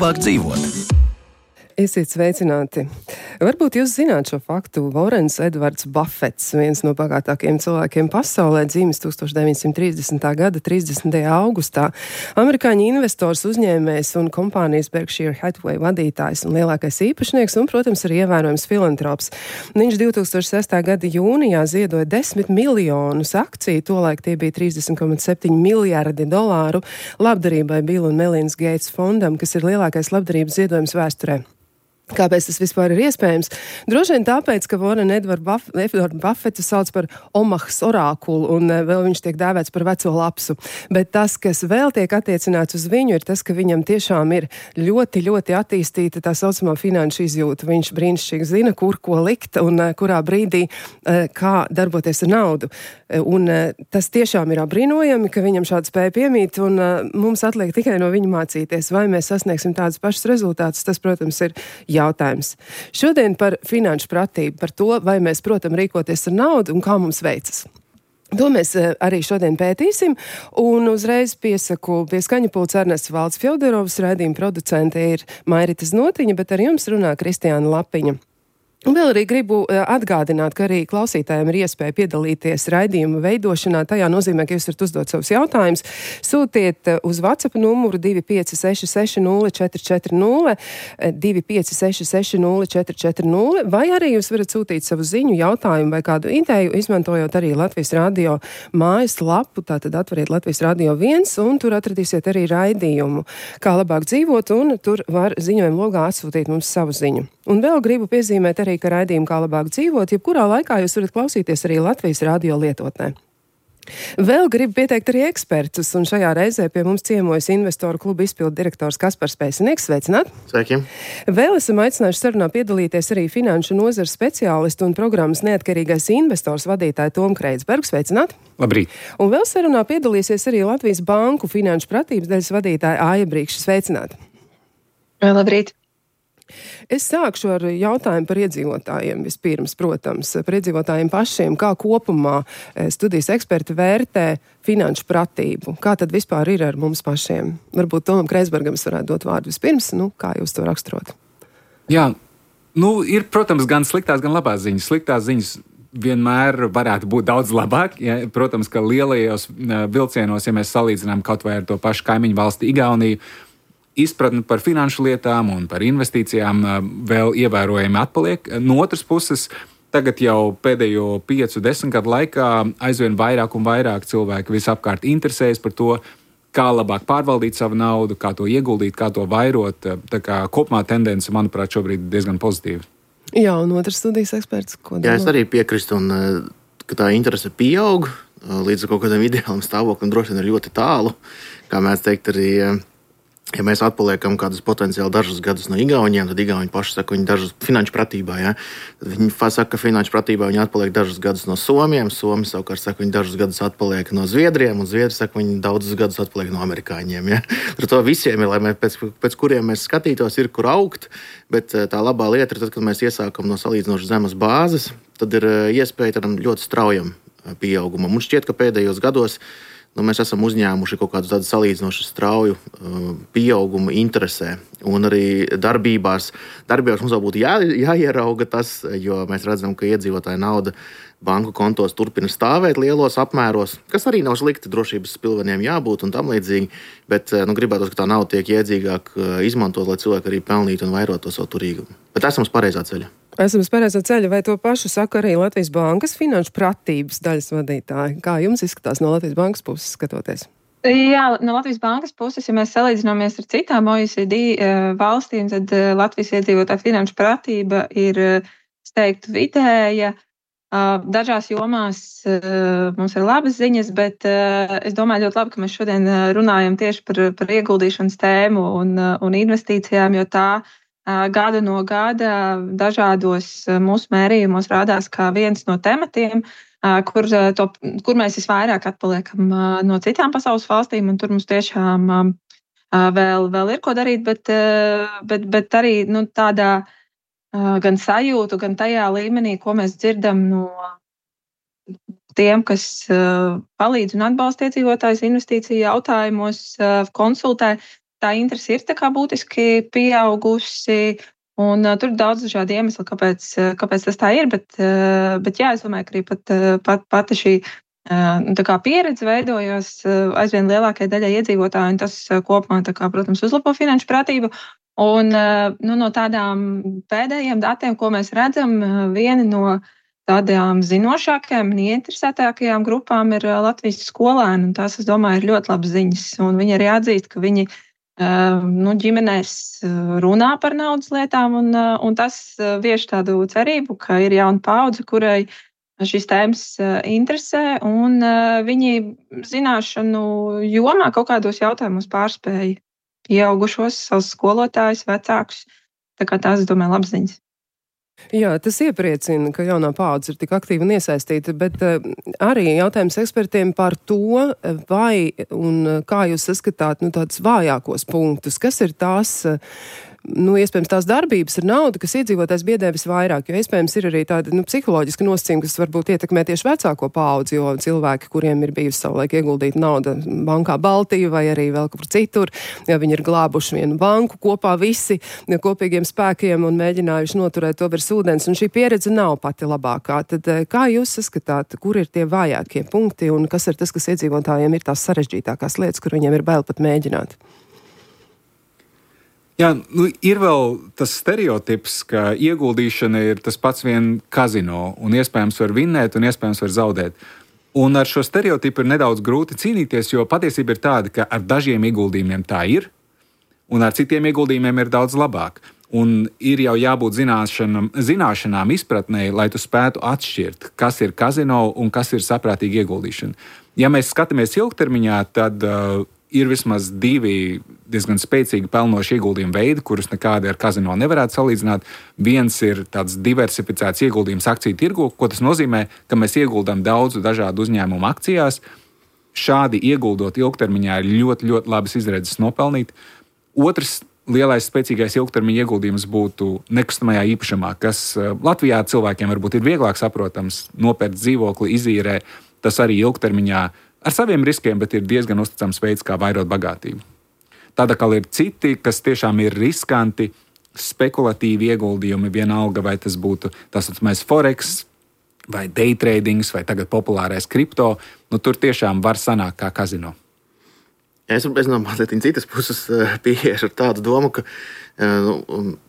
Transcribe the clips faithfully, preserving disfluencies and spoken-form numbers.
labāk dzīvot. Esiet sveicināti. Varbūt jūs zināt šo faktu. Vorens Edvards Buffets, viens no bagātākajiem cilvēkiem pasaulē, dzīves tūkstoš deviņsimt trīsdesmitā gada trīsdesmitajā augustā. Amerikāņu investors, uzņēmējs un kompānijas Berkshire Hathaway vadītājs un lielākais īpašnieks un, protams, arī ievērojams filantrops. Viņš divtūkstoš sestā gada jūnijā ziedoja desmit miljonus akciju, tolaik tie bija trīsdesmit komats septiņi miljardi dolāru labdarībai Bill un Melindas Gates fondam, kas ir lielākais labdarības ziedojums vēsturē. Kāpēc tas vispār ir iespējams? Droši vien tāpēc, ka Warren Edvardu Buff Buffetu sauc par Omahas orākulu un vēl viņš tiek dēvēts par veco lapsu. Bet tas, kas vēl tiek attiecināts uz viņu, ir tas, ka viņam tiešām ir ļoti, ļoti attīstīta tā saucamā finanšu izjūta. Viņš brīnišķīgi zina, kur ko likt un kurā brīdī kā darboties ar naudu. Un tas tiešām ir apbrīnojami, ka viņam šāda spēja piemīt un mums atliek tikai no viņa mācīties. Vai mēs sasniegsim tādus pašus rezultātus, tas, protams, ir jautājums. Šodien par finanšu pratību, par to, vai mēs, protams, rīkoties ar naudu un kā mums veicas. To mēs arī šodien pētīsim, un uzreiz piesaku pie skaņa pults Ernests Valds Fjodorovs, raidījuma producente ir Mairita Znotiņa, bet ar jums runā Kristiāna Lapiņa. Un vēl arī gribu atgādināt, ka arī klausītājiem ir iespēja piedalīties raidījuma veidošanā. Tajā nozīmē, ka jūs varat uzdot savus jautājumus. Sūtiet uz WhatsApp numuru divi pieci seši seši nulle četri četri nulle, divi pieci seši seši nulle četri četri nulle, vai arī jūs varat sūtīt savu ziņu, jautājumu vai kādu ideju, izmantojot arī Latvijas radio mājas lapu. Tātad atveriet Latvijas radio viens, un tur atradīsiet arī raidījumu, kā labāk dzīvot, un tur var ziņojumu logā atsūtīt mums savu ziņu. Un vēl gribu piezīmēt arī, ka raidījumu kā labāk dzīvot, jebkurā laikā jūs varat klausīties arī Latvijas radio lietotnē. Vēl gribu pieteikt arī ekspertus, un šajā reizē pie mums ciemojas investoru kluba izpildu direktors Kaspars Pēcinieks. Sveicināt! Sveiki! Vēl esam aicinājuši sarunā piedalīties arī finanšu nozares speciālistu un programmas neatkarīgais investors vadītāja Tomu Kreitsbergu. Sveicināt! Labrīt! Un vēl sarunā piedalīsies arī Latvijas banku finanšu pratības daļas vadītāja Aija Brīkša. Sveicināt! Labrīt! Es sākšu ar jautājumu par iedzīvotājiem vispirms, protams, par iedzīvotājiem pašiem, kā kopumā studijas eksperti vērtē finanšu pratību. Kā tad vispār ir ar mums pašiem? Varbūt Tomam Kreitsbergam es varētu dot vārdu vispirms, nu, kā jūs to raksturot? Jā, nu, ir, protams, gan sliktās, gan labās ziņas. Sliktās ziņas vienmēr varētu būt daudz labāk. Ja, protams, ka lielajos vilcienos, ja mēs salīdzinām kaut vai ar to pašu kaimiņu valsti Igauniju, izpratni par finanšu lietām un par investīcijām vēl ievērojami atpaliek. No otras puses, tagad jau pēdējo piecu, desmit gadu laikā aizvien vairāk un vairāk cilvēki visapkārt interesējas par to, kā labāk pārvaldīt savu naudu, kā to ieguldīt, kā to vairot. Tā kā kopumā tendence, manuprāt, šobrīd diezgan pozitīva. Jā, un otrs studijas eksperts, ko domā? Jā, es arī piekrīstu, un ka tā interese pieaug līdz kaut kādam ideālam stāvoklim, droši vien ir ļoti tālu. Kā mēs teikt, arī ja mēs atpaliekam kādus potenciāli dažus gadus no Igauniem, tad Igauni paši saka, viņi dažus finanšu pratībā, ja? Tad viņi saka, ka finanšu pratībā viņi atpaliek dažus gadus no Somiem, Somi savukārt saka, viņi dažus gadus atpaliek no Zviedriem, un Zviedri saka, viņi daudzus gadus atpaliek no amerikāņiem, ja? Ar to visiem ir, lai mēs pēc, pēc kuriem mēs skatītos, ir kur augt, bet tā labā lieta ir tad, kad mēs iesākam no salīdzinoši zemes bāzes, tad ir iespēja tādam ļoti straujam pieaugumam. Un šķiet, ka pēdējos gados Nu, mēs esam uzņēmuši kaut kādu tādu salīdzinoši strauju uh, pieaugumu interesē. Un arī darbībās, darbībās mums vēl būtu jā, jāierauga tas, jo mēs redzam, ka iedzīvotāja nauda banku kontos turpina stāvēt lielos apmēros, kas arī nav slikti, drošības pilveniem jābūt un tam līdzīgi, bet nu, gribētos, ka tā nauda tiek iedzīgāk izmantot, lai cilvēki arī pelnītu un vairot to savu turīgumu. Bet esam uz pareizā ceļa. Esam uz pareizā ceļa, vai to pašu saka arī Latvijas bankas finanšu pratības daļas vadītāji? Kā jums izskatās no Latvijas bankas puses skatoties? Jā, no Latvijas bankas puses, ja mēs salīdzināmies ar citām O E C D valstīm, tad Latvijas iedzīvotāja finanšu pratība ir, es teiktu, vidēja. Dažās jomās mums ir labas ziņas, bet es domāju ļoti labi, ka mēs šodien runājam tieši par, par ieguldīšanas tēmu un, un investīcijām, jo tā gada no gada dažādos mūsu mērījumos rādās kā viens no tematiem, kur, to, kur mēs visvairāk atpaliekam no citām pasaules valstīm, un tur mums tiešām vēl, vēl ir ko darīt, bet, bet, bet arī nu, tādā gan sajūtu, gan tajā līmenī, ko mēs dzirdam no tiem, kas palīdz un atbalsta iedzīvotājus investīciju jautājumos, konsultē, tā interese ir tā kā būtiski pieaugusi. Un, uh, tur ir daudz dažādu iemeslu, kāpēc, uh, kāpēc tas tā ir, bet, uh, bet jā, es domāju, ka arī pat, uh, pat, pati šī uh, tā kā pieredze veidojas uh, aizvien lielākajai daļai iedzīvotāju, un tas uh, kopumā, tā kā, protams, uzlabo finanšu pratību. Un uh, nu, no tādām pēdējiem datiem, ko mēs redzam, uh, viena no tādām zinošākajām un ieinteresētākajām grupām ir uh, Latvijas skolēni, un tās, es domāju, ir ļoti labas ziņas. Un viņi arī atzīst, ka viņi nu, ģimenēs runā par naudas lietām, un, un tas vieš tādu cerību, ka ir jauna paudze, kurai šīs tēmas interesē, un viņi zināšanu jomā kaut kādos jautājumos pārspēja pieaugušos, savus skolotājus, vecākus. Tā kā tās, es domāju, labas ziņas. Jā, tas iepriecina, ka jaunā paudze ir tik aktīva un iesaistīta, bet uh, arī jautājums ekspertiem par to, vai un kā jūs saskatāt nu, tādus vājākos punktus, kas ir tās, uh, nu, iespējams, tās darbības ar naudu, kas iedzīvotājs biedē visvairāk, jo iespējams ir arī tāda nu, psiholoģiska nosacījuma, kas varbūt ietekmē tieši vecāko paudzi, jo cilvēki, kuriem ir bijusi savulaik ieguldīta nauda bankā Baltija vai arī vēl kur citur, ja viņi ir glābuši vienu banku kopā visi ja kopīgiem spēkiem un mēģinājuši noturēt to virs ūdens, un šī pieredze nav pati labākā. Tad kā jūs saskatāt, kur ir tie vājākie punkti un kas ir tas, kas iedzīvotājiem ir tās sarežģītākās lietas, kur viņiem ir bail pat mēģināt? Jā, nu, ir vēl tas stereotips, ka ieguldīšana ir tas pats vien kazino, un iespējams var vinnēt, un iespējams var zaudēt. Un ar šo stereotipu ir nedaudz grūti cīnīties, jo patiesība ir tāda, ka ar dažiem ieguldījumiem tā ir, un ar citiem ieguldījumiem ir daudz labāk. Un ir jau jābūt zināšanām, zināšanām izpratnē, lai tu spētu atšķirt, kas ir kazino un kas ir saprātīga ieguldīšana. Ja mēs skatāmies ilgtermiņā, tad uh, ir vismaz divi diezgan spēcīgi pelnoši ieguldījumu veidi, kurus nekādi ar kazino nevarētu salīdzināt. Viens ir tāds diversificēts ieguldījums akciju tirgu, ko tas nozīmē, ka mēs ieguldām daudzu dažādu uzņēmumu akcijās. Šādi ieguldot ilgtermiņā ir ļoti, ļoti labas izredzes nopelnīt. Otrs lielais spēcīgais ilgtermiņa ieguldījums būtu nekustamajā īpašumā, kas Latvijā cilvēkiem varbūt ir vieglāk saprotams, nopērkt dzīvokli, izīrē. Tas arī ilgtermiņā ar saviem riskiem, bet ir diezgan uzticams veids, kā vairot bagātību. Tāda kā ir citi, kas tiešām ir riskanti, spekulatīvi ieguldījumi, vienalga, vai tas būtu tas saucamais forex, vai day tradings, vai tagad populārais kripto, nu tur tiešām var sanākt kā kazino. Es, es no mazliet citas puses pieiešu ar tādu domu, ka nu,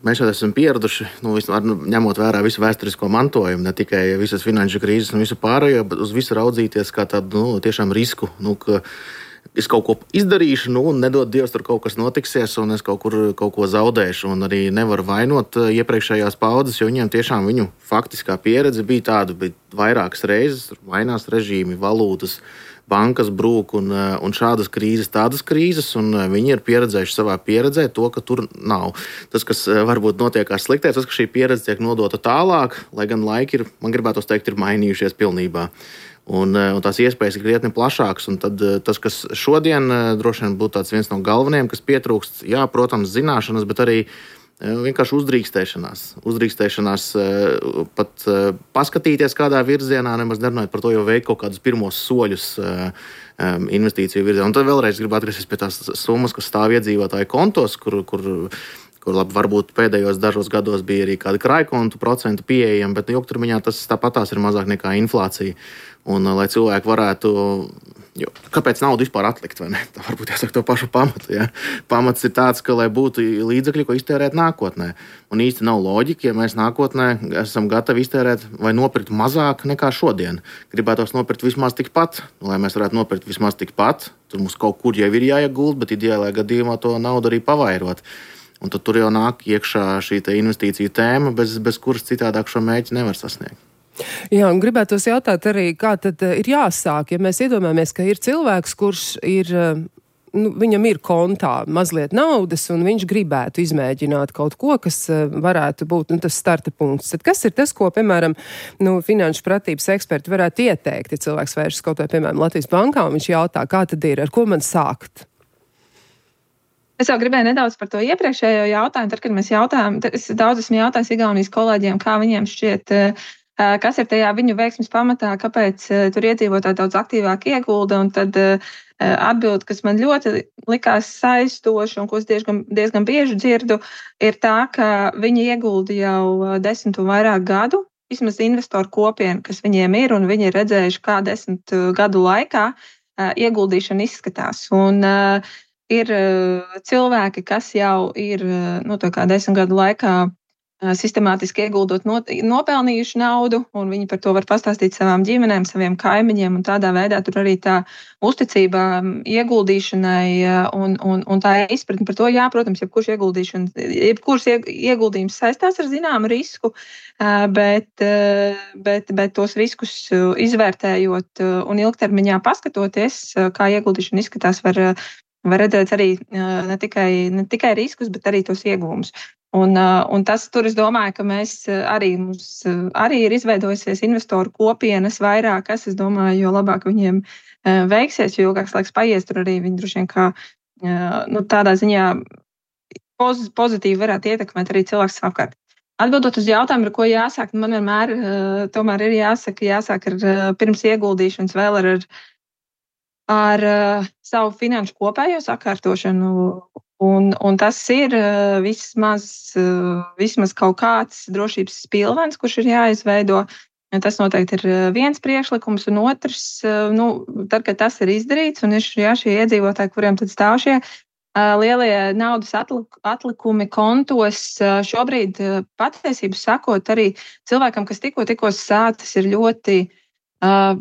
mēs šeit esam pieraduši, nu, ņemot vērā visu vēsturisko mantojumu, ne tikai visas finanšu krīzes un visu pārējo, bet uz visu raudzīties kā tādu nu, tiešām risku, nu, ka es kaut ko izdarīšu, nu, un nedod Dievs, tur kaut kas notiksies, un es kaut kur kaut ko zaudēšu, un arī nevaru vainot iepriekšējās paudzes, jo viņiem tiešām viņu faktiskā pieredze bija tāda, bija vairākas reizes, mainās režīmi, valūtas, bankas brūk un, un šādas krīzes, tādas krīzes, un viņi ir pieredzējuši savā pieredzē to, ka tur nav. Tas, kas varbūt notiekās sliktais, tas, ka šī pieredze tiek nodota tālāk, lai gan laiki ir, man gribētos teikt, ir mainījušies pilnībā. Un, un tās iespējas ir krietni plašākas, un tad tas, kas šodien droši vien būtu tāds viens no galvenajiem, kas pietrūkst, jā, protams, zināšanas, bet arī vienkārši uzdrīkstēšanās. Uzdrīkstēšanās pat paskatīties kādā virzienā, nemaz nerunājot par to, jau veikt kaut kādus pirmos soļus investīciju virzienā. Un tad vēlreiz gribu atgriezties pie tās summas, kas stāv iedzīvotāju kontos, kur, kur, kur labi, varbūt pēdējos dažos gados bija arī kādi krājkontu procentu pieejami, bet ilgtermiņā tas tāpatās ir mazāk nekā inflācija. Un, lai cilvēki varētu, jo, kāpēc naudu vispār atlikt, vai ne? Tā varbūt jāsaka to pašu pamatu. Ja? Pamats ir tāds, ka lai būtu līdzekļi, ko iztērēt nākotnē. Un īsti nav loģika, ja mēs nākotnē esam gatavi iztērēt vai nopirkt mazāk nekā šodien. Gribētos nopirkt vismaz tikpat, lai mēs varētu nopirkt vismaz tikpat. Tur mums kaut kur jau ir jāieguld, bet ideālajā gadījumā to naudu arī pavairot. Un tad tur jau nāk iekšā šī investīcija tēma, bez, bez kuras citādāk šo mērķi nevar sasniegt. Jā, un gribētos jautāt arī, kā tad ir jāsāk, ja mēs iedomājamies, ka ir cilvēks, kurš ir, nu, viņam ir kontā mazliet naudas, un viņš gribētu izmēģināt kaut ko, kas varētu būt, nu, tas starta punkts. Tad kas ir tas, ko, piemēram, nu, finanšu pratības eksperti varētu ieteikt, ja cilvēks vēršas kaut vai, piemēram, Latvijas bankā, un viņš jautā, kā tad ir, ar ko man sākt? Es jau gribēju nedaudz par to iepriekšējo jautājumu, tad, kad mēs jautājām, es daudz esmu jautājis Igaunijas kolēģiem, kā viņiem šķiet kas ir tajā viņu veiksmes pamatā, kāpēc tur iedzīvotāji daudz aktīvāk iegulda. Un tad atbilde, kas man ļoti likās saistoša un ko es diezgan, diezgan bieži dzirdu, ir tā, ka viņi iegulda jau desmit un vairāk gadu, vismaz investoru kopienu, kas viņiem ir, un viņi ir redzējuši, kā desmit gadu laikā ieguldīšana izskatās. Un uh, ir uh, cilvēki, kas jau ir uh, nu, tā kā desmit gadu laikā uh, sistemātiski ieguldot not, nopelnījuši naudu, un viņi par to var pastāstīt savām ģimenēm, saviem kaimiņiem, un tādā veidā tur arī tā uzticība ieguldīšanai uh, un, un, un tā izpratne par to, jā, protams, jebkurš ieguldīšana, jebkurš ieguldījums saistās ar zināmu risku, uh, bet, uh, bet, bet tos riskus uh, izvērtējot uh, un ilgtermiņā paskatoties, uh, kā ieguldīšana izskatās, var, uh, var redzēt arī uh, ne tikai, ne tikai riskus, bet arī tos ieguvumus. Un, uh, un tas tur, es domāju, ka mēs arī, mums uh, arī ir izveidojusies investoru kopienas vairāk, kas, es domāju, jo labāk viņiem uh, veiksies, jo ilgāks laiks paies, tur arī viņi droši vien kā uh, nu, tādā ziņā poz, pozitīvi varētu ietekmēt arī cilvēks apkārt. Atbildot uz jautājumu, ar ko jāsāk, man vienmēr uh, tomēr ir jāsaka, jāsāk ar uh, pirms ieguldīšanas vēl ar, ar uh, savu finanšu kopējo sakārtošanu. Un, un tas ir uh, vismaz, uh, vismaz kaut kāds drošības spilvens, kurš ir jāizveido. Tas noteikti ir viens priekšlikums, un otrs, uh, nu, tad, kad tas ir izdarīts, un ir jā, šie iedzīvotāji, kuriem tad stāv šie uh, lielie naudas atlik, atlikumi kontos, uh, šobrīd uh, patiesību sakot, arī cilvēkam, kas tikko, tikko sācis, ir ļoti uh,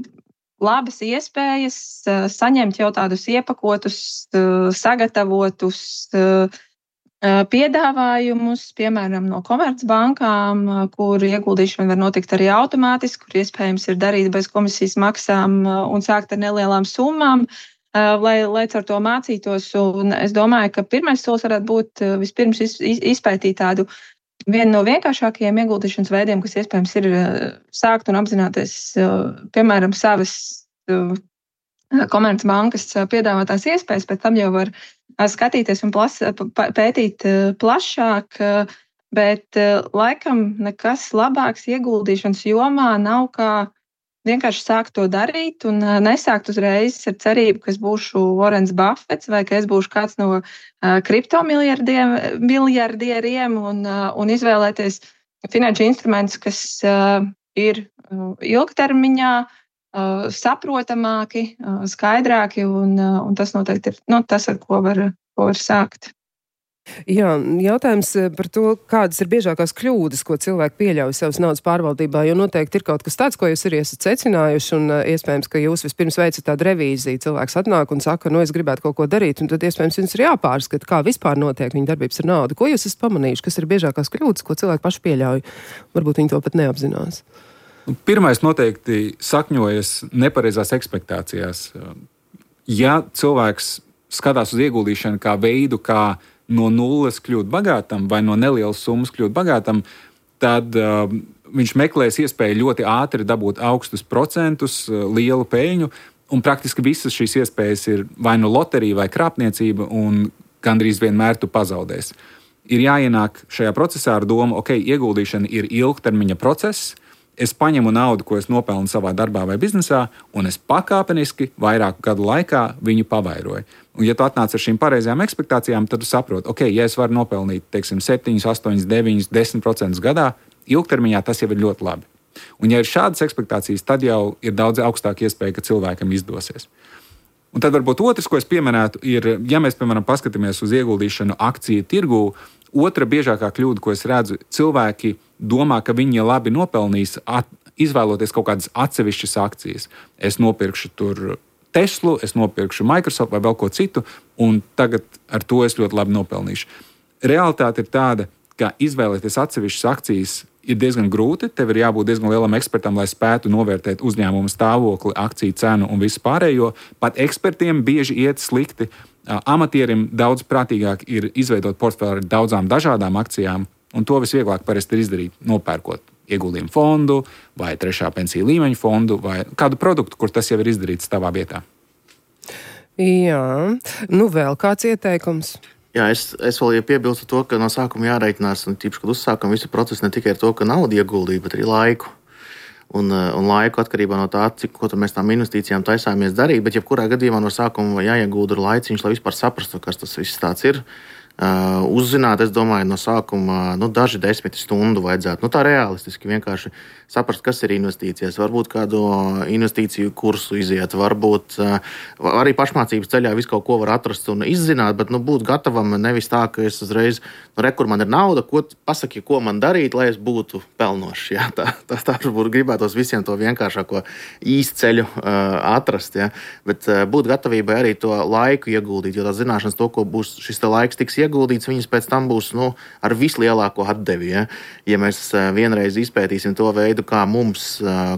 labas iespējas uh, saņemt jau tādus iepakotus, uh, sagatavotus uh, uh, piedāvājumus, piemēram, no komercbankām, uh, kur ieguldīšana var notikt arī automātiski, kur iespējams ir darīt bez komisijas maksām uh, un sākt ar nelielām summām, uh, lai, lai ar to mācītos. Un es domāju, ka pirmais solis varētu būt uh, vispirms iz, iz, izpētīt tādu vienu no vienkāršākajiem ieguldīšanas veidiem, kas iespējams ir sākt un apzināties, piemēram, savas komercbankas piedāvātās iespējas, pēc tam jau var skatīties un plas, pētīt plašāk, bet laikam nekas labāks ieguldīšanas jomā nav kā vienkārši sākt to darīt un nesākt uzreiz ar cerību, ka es būšu Warrens Buffets vai ka es būšu kāds no uh, kriptomiljardieriem un, uh, un izvēlēties finanšu instrumentus, kas uh, ir uh, ilgtermiņā uh, saprotamāki, uh, skaidrāki, un, uh, un tas noteikti ir nu, tas, ar ko var, ko var sākt. Jā, jautājums par to, kādas ir biežākās kļūdas, ko cilvēki pieļauj savas naudas pārvaldībā, jo noteikti ir kaut kas tāds, ko jūs arī esat secinājuši, un iespējams, ka jūs vispirms veicat tādu revīziju. Cilvēks atnāk un saka, nu es gribētu kaut ko darīt, un tad iespējams jums ir jāpārskata, kā vispār notiek viņa darbības ar naudu. Ko jūs esat pamanījuši, kas ir biežākās kļūdas, ko cilvēki paši pieļauj? Varbūt viņi to pat neapzinās. Pirmais noteikti sakņojas nepareizās ekspektācijās. Ja cilvēks skatās uz ieguldīšanu kā veidu, kā no nulles kļūt bagātam vai no nelielas summas kļūt bagātam, tad uh, viņš meklēs iespēju ļoti ātri dabūt augstus procentus, uh, lielu peļņu, un praktiski visas šīs iespējas ir vai nu loterija vai krāpniecība, un gandrīz vienmēr tu pazaudēsi. Ir jāienāk šajā procesā ar domu, ok, ieguldīšana ir ilgtermiņa process, es paņemu naudu, ko es nopelnu savā darbā vai biznesā, un es pakāpeniski vairāku gadu laikā viņu pavairoju. Un, ja tu atnāc ar šīm pareizajām ekspektācijām, tad tu saproti, ok, ja es varu nopelnīt, teiksim, septiņi, astoņi, deviņi, desmit procentus gadā, ilgtermiņā tas jau ir ļoti labi. Un, ja ir šādas ekspektācijas, tad jau ir daudz augstāka iespēja, ka cilvēkam izdosies. Un tad varbūt otrs, ko es pieminētu, ir, ja mēs, piemēram, paskatāmies uz ieguldīšanu akciju tirgū, otra biežākā kļūda, ko es redzu, cilvēki domā, ka viņi labi nopelnīs, at, izvēloties kaut kādas atsevišķas akcijas. Es nopirkšu tur Teslu, es nopirkšu Microsoft vai vēl ko citu, un tagad ar to es ļoti labi nopelnīšu. Realitāte ir tāda, ka izvēlēties atsevišķas akcijas ir diezgan grūti. Tev ir jābūt diezgan lielam ekspertam, lai spētu novērtēt uzņēmumu stāvokli, akciju cenu un visu pārējo. Pat ekspertiem bieži iet slikti. Amatierim daudz prātīgāk ir izveidot portfeli ar daudzām dažādām akcijām, un to visvieglāk parasti ir izdarīt, nopērkot ieguldījumu fondu vai trešā pensiju līmeņa fondu vai kādu produktu, kur tas jau ir izdarīts tavā vietā. Jā, nu vēl kāds ieteikums? Jā, es, es vēl piebilstu to, ka no sākuma jāreikinās, un tīpaši, kad uzsākam visu procesu ne tikai ar to, ka naudu ieguldīt, bet arī laiku. un, un laiku atkarībā no tā, cik ko mēs tām investīcijām taisāmies darīt. Bet, jebkurā gadījumā no sākuma jāiegūda laiciņš, lai vispār saprastu, kas tas viss tāds ir. Uh, uzzināt, es domāju, no sākuma nu, daži desmit stundu vajadzētu. Nu, tā realistiski vienkārši saprast, kas ir investīcijas. Varbūt kādu investīciju kursu iziet, varbūt uh, arī pašmācības ceļā visu kaut ko var atrast un izzināt, bet nu, būt gatavam nevis tā, ka es uzreiz, nu, re, kur man ir nauda, ko pasaki, ko man darīt, lai es būtu pelnošs. Jā, tā, tā, tā varbūt gribētos visiem to vienkāršāko īstu ceļu uh, atrast, jā. Bet uh, būt gatavībai arī to laiku ieguldīt, jo tā zināšanas to, ko būs šis te laiks tiks ieguldīts, viņas pēc tam būs nu, ar vislielāko atdevi. Ja, ja mēs vienreiz izpētīsim to veidu, kā mums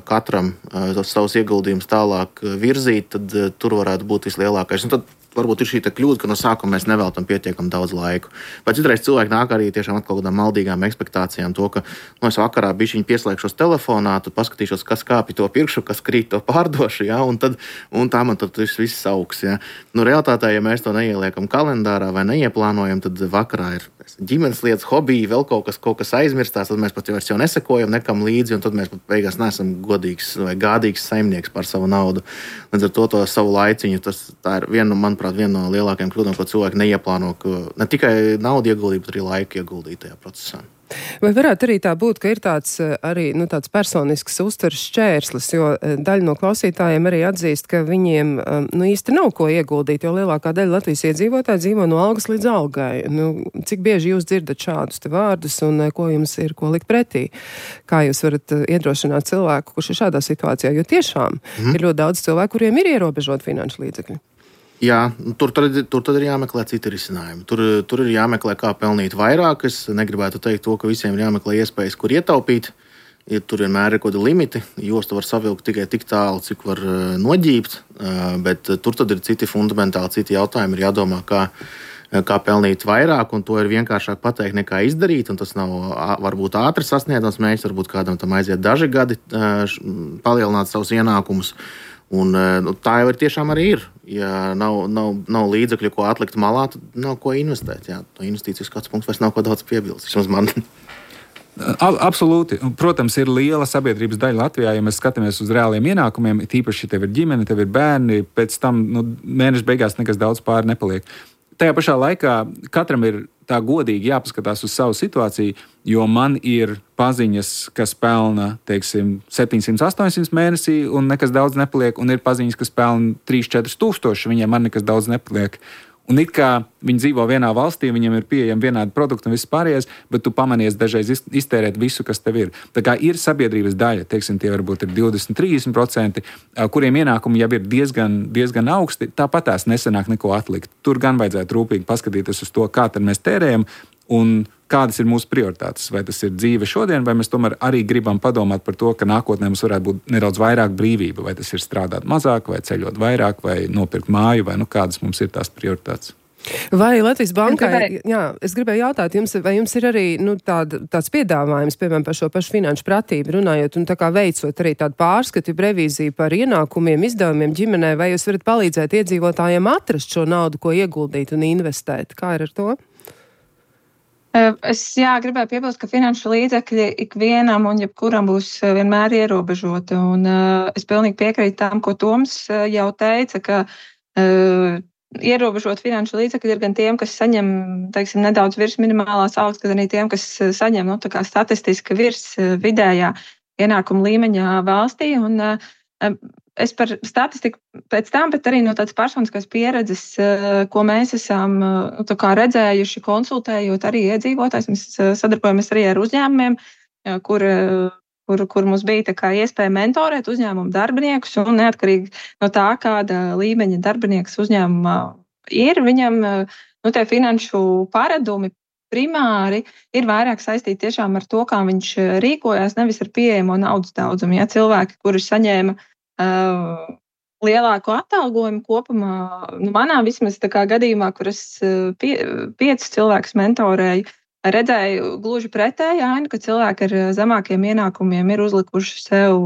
katram tos savus ieguldījumus tālāk virzīt, tad tur varētu būt vislielākais. Un tad varbūt ir šī kļūda, ka no sākuma mēs neveltam pietiekami daudz laiku. Bet citreiz cilvēki nāk arī tiešām atkal kādām maldīgām ekspektācijām, to, ka no es vakarā bišķiņ pieslēgšos telefonā, tad paskatīšos, kas kāpi to pirkšu, kas krīt to pārdošu, ja, un, tad, un tā man tad viss augs. Ja. Nu, realitātē, ja mēs to neieliekam kalendārā vai neieplānojam, tad vakarā ir ģimenes lietas, hobiji, vēl kaut kas, kaut kas aizmirstās, tad mēs pat jau, jau nesekojam nekam līdzi, un tad mēs pat beigās neesam godīgs vai gādīgs saimnieks par savu naudu. Līdz ar to, to savu laiciņu, tas tā ir viena, manuprāt, viena no lielākajām kļūdām, ko cilvēki neieplāno, ka ne tikai naudu ieguldīt, bet arī laiku ieguldīt tajā procesā. Vai varētu arī tā būt, ka ir tāds arī nu, tāds personisks uztveres šķērslis, jo daļa no klausītājiem arī atzīst, ka viņiem nu, īsti nav ko ieguldīt, jo lielākā daļa Latvijas iedzīvotāji dzīvo no algas līdz algai. Nu, cik bieži jūs dzirdat šādus te vārdus un ko jums ir ko likt pretī? Kā jūs varat iedrošināt cilvēku, kurš ir šādā situācijā? Jo tiešām mm. ir ļoti daudz cilvēku, kuriem ir ierobežot finanšu līdzekļi. Jā, tur tad, tur tad ir jāmeklē citi risinājumi. Tur, tur ir jāmeklē, kā pelnīt vairāk. Es negribētu teikt to, ka visiem ir jāmeklē iespējas, kur ietaupīt. Ja tur vienmēr ir kaut kādi limiti. Jostu var savilkt tikai tik tālu, cik var noģībt. Bet tur tad ir citi fundamentāli, citi jautājumi. Ir jādomā, kā, kā pelnīt vairāk, un to ir vienkāršāk pateikt, nekā izdarīt. Un tas nav varbūt ātri sasniedzams mērķis, varbūt kādam tam aiziet daži gadi palielināt savus ienākumus. Un, nu, tā jau ir tiešām arī ir. Ja nav, nav, nav līdzekļu, ko atlikt malā, tad nav ko investēt. Jā. No investīcijas skatu punkts vairs nav ko daudz piebilst. Vismaz man. Absolūti. Protams, ir liela sabiedrības daļa Latvijā, ja mēs skatāmies uz reāliem ienākumiem, tīpaši, ja tev ir ģimene, tev ir bērni, pēc tam nu, mēneša beigās nekas daudz pāri nepaliek. Tajā pašā laikā katram ir tā godīgi jāpaskatās uz savu situāciju, jo man ir paziņas, kas pelna, teiksim, septiņsimt, astoņsimt mēnesī un nekas daudz nepaliek, un ir paziņas, kas pelna trīs četri tūkstoši, viņiem man nekas daudz nepaliek. Un it kā viņi dzīvo vienā valstī, viņiem ir pieejami vienādi produkti un viss pārējais, bet tu pamanies dažreiz iztērēt visu, kas tev ir. Tā kā ir sabiedrības daļa, teiksim, tie varbūt ir divdesmit trīsdesmit procenti, kuriem ienākumi jau ir diezgan, diezgan augsti, tāpat tās nesanāk neko atlikt. Tur gan vajadzētu rūpīgi paskatīties uz to, kā tad mēs tērējam un kādas ir mūsu prioritātes. Vai tas ir dzīve šodien, vai mēs tomēr arī gribam padomāt par to, ka nākotnē mums varētu būt nedaudz vairāk brīvība, vai tas ir strādāt mazāk, vai ceļot vairāk, vai nopirkt māju, vai nu kādas mums ir tās prioritātes. Vai Latvijas bankai, jā, es gribēju jautāt jums, vai jums ir arī nu, tād, tāds piedāvājums, piemēram, par šo pašu finanšu pratību runājot un tā kā veicot arī tādu pārskatu, revīziju par ienākumiem, izdevumiem ģimenē, vai jūs varat palīdzēt iedzīvotājiem atrast šo naudu, ko ieguldīt un investēt? Kā ir ar to? Es jā, gribēju piebilst, ka finanšu līdzekļi ikvienam un jebkuram būs vienmēr ierobežoti. Un, uh, es pilnīgi piekrītu tam, ko Toms jau teica, ka uh, ierobežot finanšu līdzekļi ir gan tiem, kas saņem, teiksim, nedaudz virs minimālās algas, gan arī tiem, kas saņem, nu, tā kā statistiski virs vidējā ienākuma līmeņa valstī. Un, uh, Es par statistiku pēc tam, bet arī no tādas personiskās pieredzes, ko mēs esam nu, tā kā redzējuši, konsultējot arī iedzīvotājs. Mēs sadarbojamies arī ar uzņēmumiem, kur, kur, kur mums bija tā kā iespēja mentorēt uzņēmumu darbiniekus, un neatkarīgi no tā, kāda līmeņa darbinieks uzņēmumā ir, viņam nu, tie finanšu paradumi primāri ir vairāk saistīti tiešām ar to, kā viņš rīkojās, nevis ar pieejamo naudas daudzumu. Ja cilvēki, kuri saņēma Uh, lielāku atalgojumu kopumā, nu, manā vismaz tā kā gadījumā, kur es pie, piecus cilvēkus mentorēju, redzēju gluži pretēju ainu, ka cilvēki ar zemākiem ienākumiem ir uzlikuši sev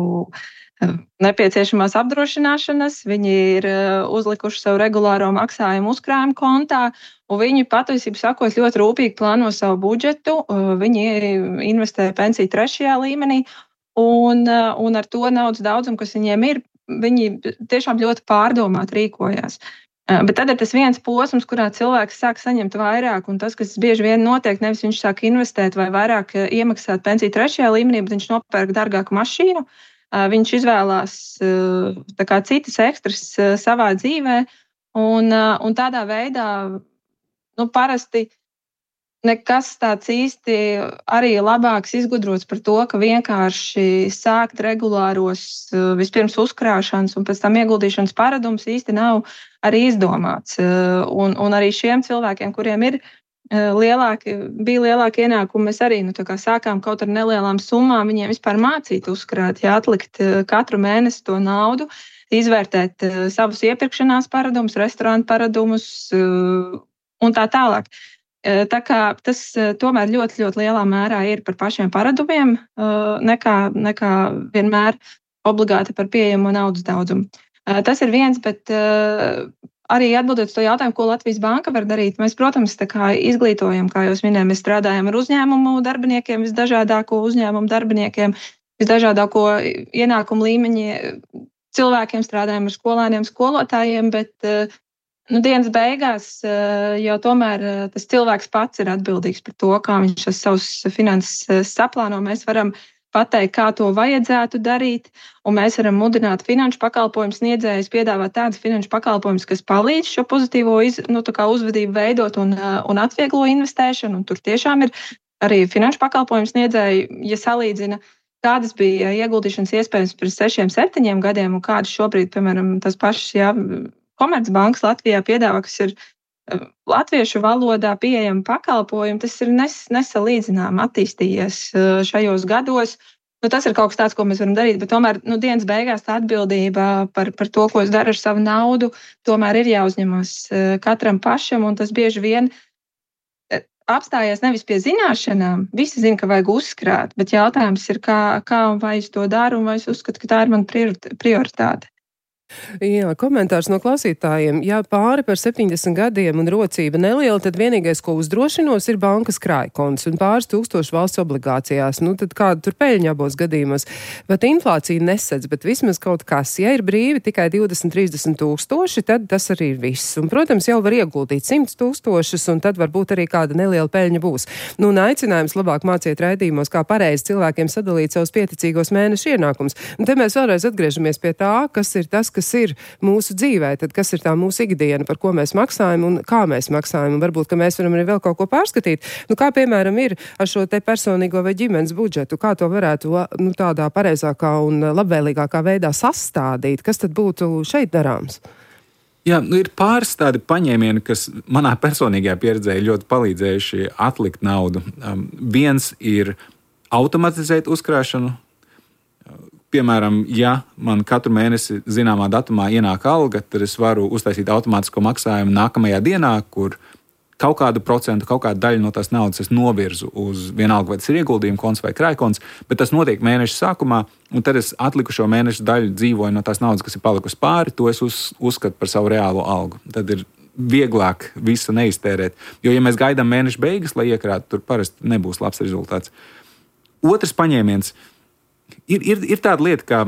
nepieciešamās apdrošināšanas, viņi ir uzlikuši sev regulāro maksājumu uzkrājumu kontā, un viņi patiesībā sakot ļoti rūpīgi plāno savu budžetu, viņi investē pensiju trešajā līmenī. un, un ar to naudas daudzumu, kas viņiem ir, viņi tiešām ļoti pārdomāt rīkojās. Bet tad ir tas viens posms, kurā cilvēks sāk saņemt vairāk, un tas, kas bieži vien notiek, nevis viņš sāk investēt vai vairāk iemaksāt pensiju trešajā līmenī, bet viņš nopērk dārgāku mašīnu, viņš izvēlās tā kā citas ekstras savā dzīvē, un, un tādā veidā nu, parasti nekas tāds īsti arī labāks izgudrots par to, ka vienkārši sākt regulāros vispirms uzkrāšanas un pēc tam ieguldīšanas paradums īsti nav arī izdomāts. Un, un arī šiem cilvēkiem, kuriem ir lielāki, bija lielāki ienākumi, mēs arī nu, tā kā sākām kaut ar nelielām summām viņiem vispār mācīt uzkrāt, ja atlikt katru mēnesi to naudu, izvērtēt savus iepirkšanās paradumus, restorānu paradumus un tā tālāk. Tā kā tas tomēr ļoti, ļoti lielā mērā ir par pašiem paradumiem, nekā, nekā vienmēr obligāti par pieejamo naudas daudzumu. Tas ir viens, bet arī atbildot to jautājumu, ko Latvijas Banka var darīt, mēs, protams, tā kā izglītojam, kā jūs minējāt, mēs strādājam ar uzņēmumu darbiniekiem, visdažādāko uzņēmumu darbiniekiem, visdažādāko ienākumu līmeņi cilvēkiem, strādājam ar skolēniem, skolotājiem, bet nu, dienas beigās jau tomēr tas cilvēks pats ir atbildīgs par to, kā viņš šos savus finanses saplāno. Mēs varam pateikt, kā to vajadzētu darīt, un mēs varam mudināt finanšu pakalpojumu sniedzējus, piedāvāt tādus finanšu pakalpojumus, kas palīdz šo pozitīvo iz, nu, tā kā uzvedību veidot un, un atvieglo investēšanu. Un tur tiešām ir arī finanšu pakalpojumu sniedzēji, ja salīdzina, kādas bija ieguldīšanas iespējas pirms sešiem, septiņiem gadiem, un kādas šobrīd, piemēram, tas pašas, jā, Komercbankas Latvijā piedāvā, kas ir latviešu valodā pieejami pakalpojumi, tas ir nes, nesalīdzinām attīstījies šajos gados. Nu, tas ir kaut kas tāds, ko mēs varam darīt, bet tomēr nu, dienas beigās tā atbildība par, par to, ko es daru ar savu naudu, tomēr ir jāuzņemas katram pašam, un tas bieži vien apstājies nevis pie zināšanām. Visi zina, ka vajag uzkrāt, bet jautājums ir, kā, kā un vai es to daru, un vai es uzskatu, ka tā ir mana prioritāte. Jā, komentārs no klausītājiem. Ja pāri par septiņdesmit gadiem un rocība neliela, tad vienīgais, ko uzdrošinos, ir bankas krājkonts un pāris tūkstoši valsts obligācijās. Nu, tad kāda tur peļņa abos gadījumos? Bet inflācija nesedz, bet vismaz kaut kas. Ja ir brīvi tikai divdesmit līdz trīsdesmit tūkstoši, tad tas arī ir viss. Un, protams, jau var ieguldīt simt tūkstošus, un tad varbūt arī kāda neliela peļņa būs. Nu, un aicinājums labāk māciet raidījumos, kā pareizi cilvēkiem sadalīt savus pieticīgos mēnešu ienākumus. Un te mēs vēlreiz atgriežamies pie tā, kas ir tas, kas ir mūsu dzīvē, tad kas ir tā mūsu ikdiena, par ko mēs maksājam un kā mēs maksājam, un varbūt, ka mēs varam arī vēl kaut ko pārskatīt. Nu, kā, piemēram, ir ar šo te personīgo vai ģimenes budžetu, kā to varētu nu, tādā pareizākā un labvēlīgākā veidā sastādīt, kas tad būtu šeit darāms? Jā, nu ir pāris tādi paņēmieni, kas manā personīgajā pieredzē ļoti palīdzējuši atlikt naudu. Um, viens ir automatizēt uzkrāšanu. Piemēram, ja man katru mēnesi zināmā datumā ienāk alga, tad es varu uztaisīt automātisko maksājumu nākamajā dienā, kur kaut kādu procentu, kaut kādu daļu no tās naudas es novirzu uz vienalga, vai tas ir ieguldījuma konts vai krājkonts, bet tas notiek mēneša sākumā, un tad es atlikušo mēnešu daļu dzīvoju no tās naudas, kas ir palikusi pāri, to es uz, uzskatu par savu reālo algu. Tad ir vieglāk visu neiztērēt, jo, ja mēs gaidām mēneša beigas, lai iekrātu, tur parasti nebūs labs rezultāts. Otrs paņēmiens. Ir, ir, ir tāda lieta, ka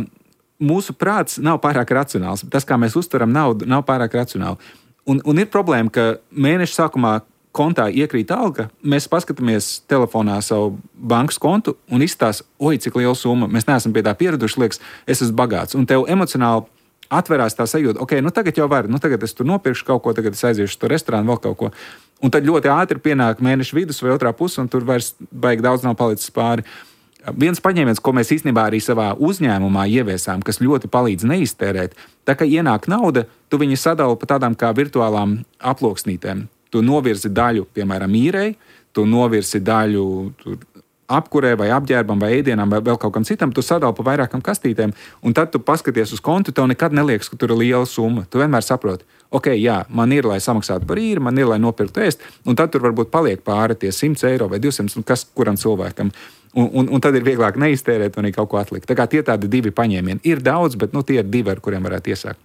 mūsu prāts nav pārāk racionāls. Tas, kā mēs uztveram naudu, nav pārāk racionāli. Un, un ir problēma, ka mēneša sākumā kontā iekrīt alga, mēs paskatāmies telefonā savu bankas kontu un izstāsta, oi, cik liela summa, mēs neesam pie tā pieraduši, liekas, es esmu bagāts. Un tev emocionāli atverās tā sajūta, ok, nu tagad jau var, nu tagad es tur nopirkšu kaut ko, tagad es aiziešu uz to restorānu, vēl kaut ko. Un tad ļoti ātri pienāk mēneša vidus vai otrā puse, un tur vairs baigi daudz nav palicis pāri. Viens paņēmiens, ko mēs īstenībā arī savā uzņēmumā ieviesām, kas ļoti palīdz neiztērēt, tā kā ienāk nauda, tu viņu sadali pa tādām kā virtuālām aploksnītēm. Tu novirzi daļu, piemēram, īrei, tu novirzi daļu tur, apkurē vai apģērbam vai ēdienam vai vēl kaut kam citam, tu sadali pa vairākam kastītēm, un tad tu paskaties uz kontu, tev nekad neliekas, ka tur ir liela summa. Tu vienmēr saproti, ok, jā, man ir, lai samaksātu par īri, man ir, lai nopirktu ēst, un tad tur varbūt paliek pāri tie simt eiro vai divsimt, un kas kuram cilvēkam. Un, un, un tad ir vieglāk neiztērēt un arī kaut ko atlikt. Tā kā tie tādi divi paņēmieni. Ir daudz, bet nu, tie ir divi, ar kuriem varētu iesākt.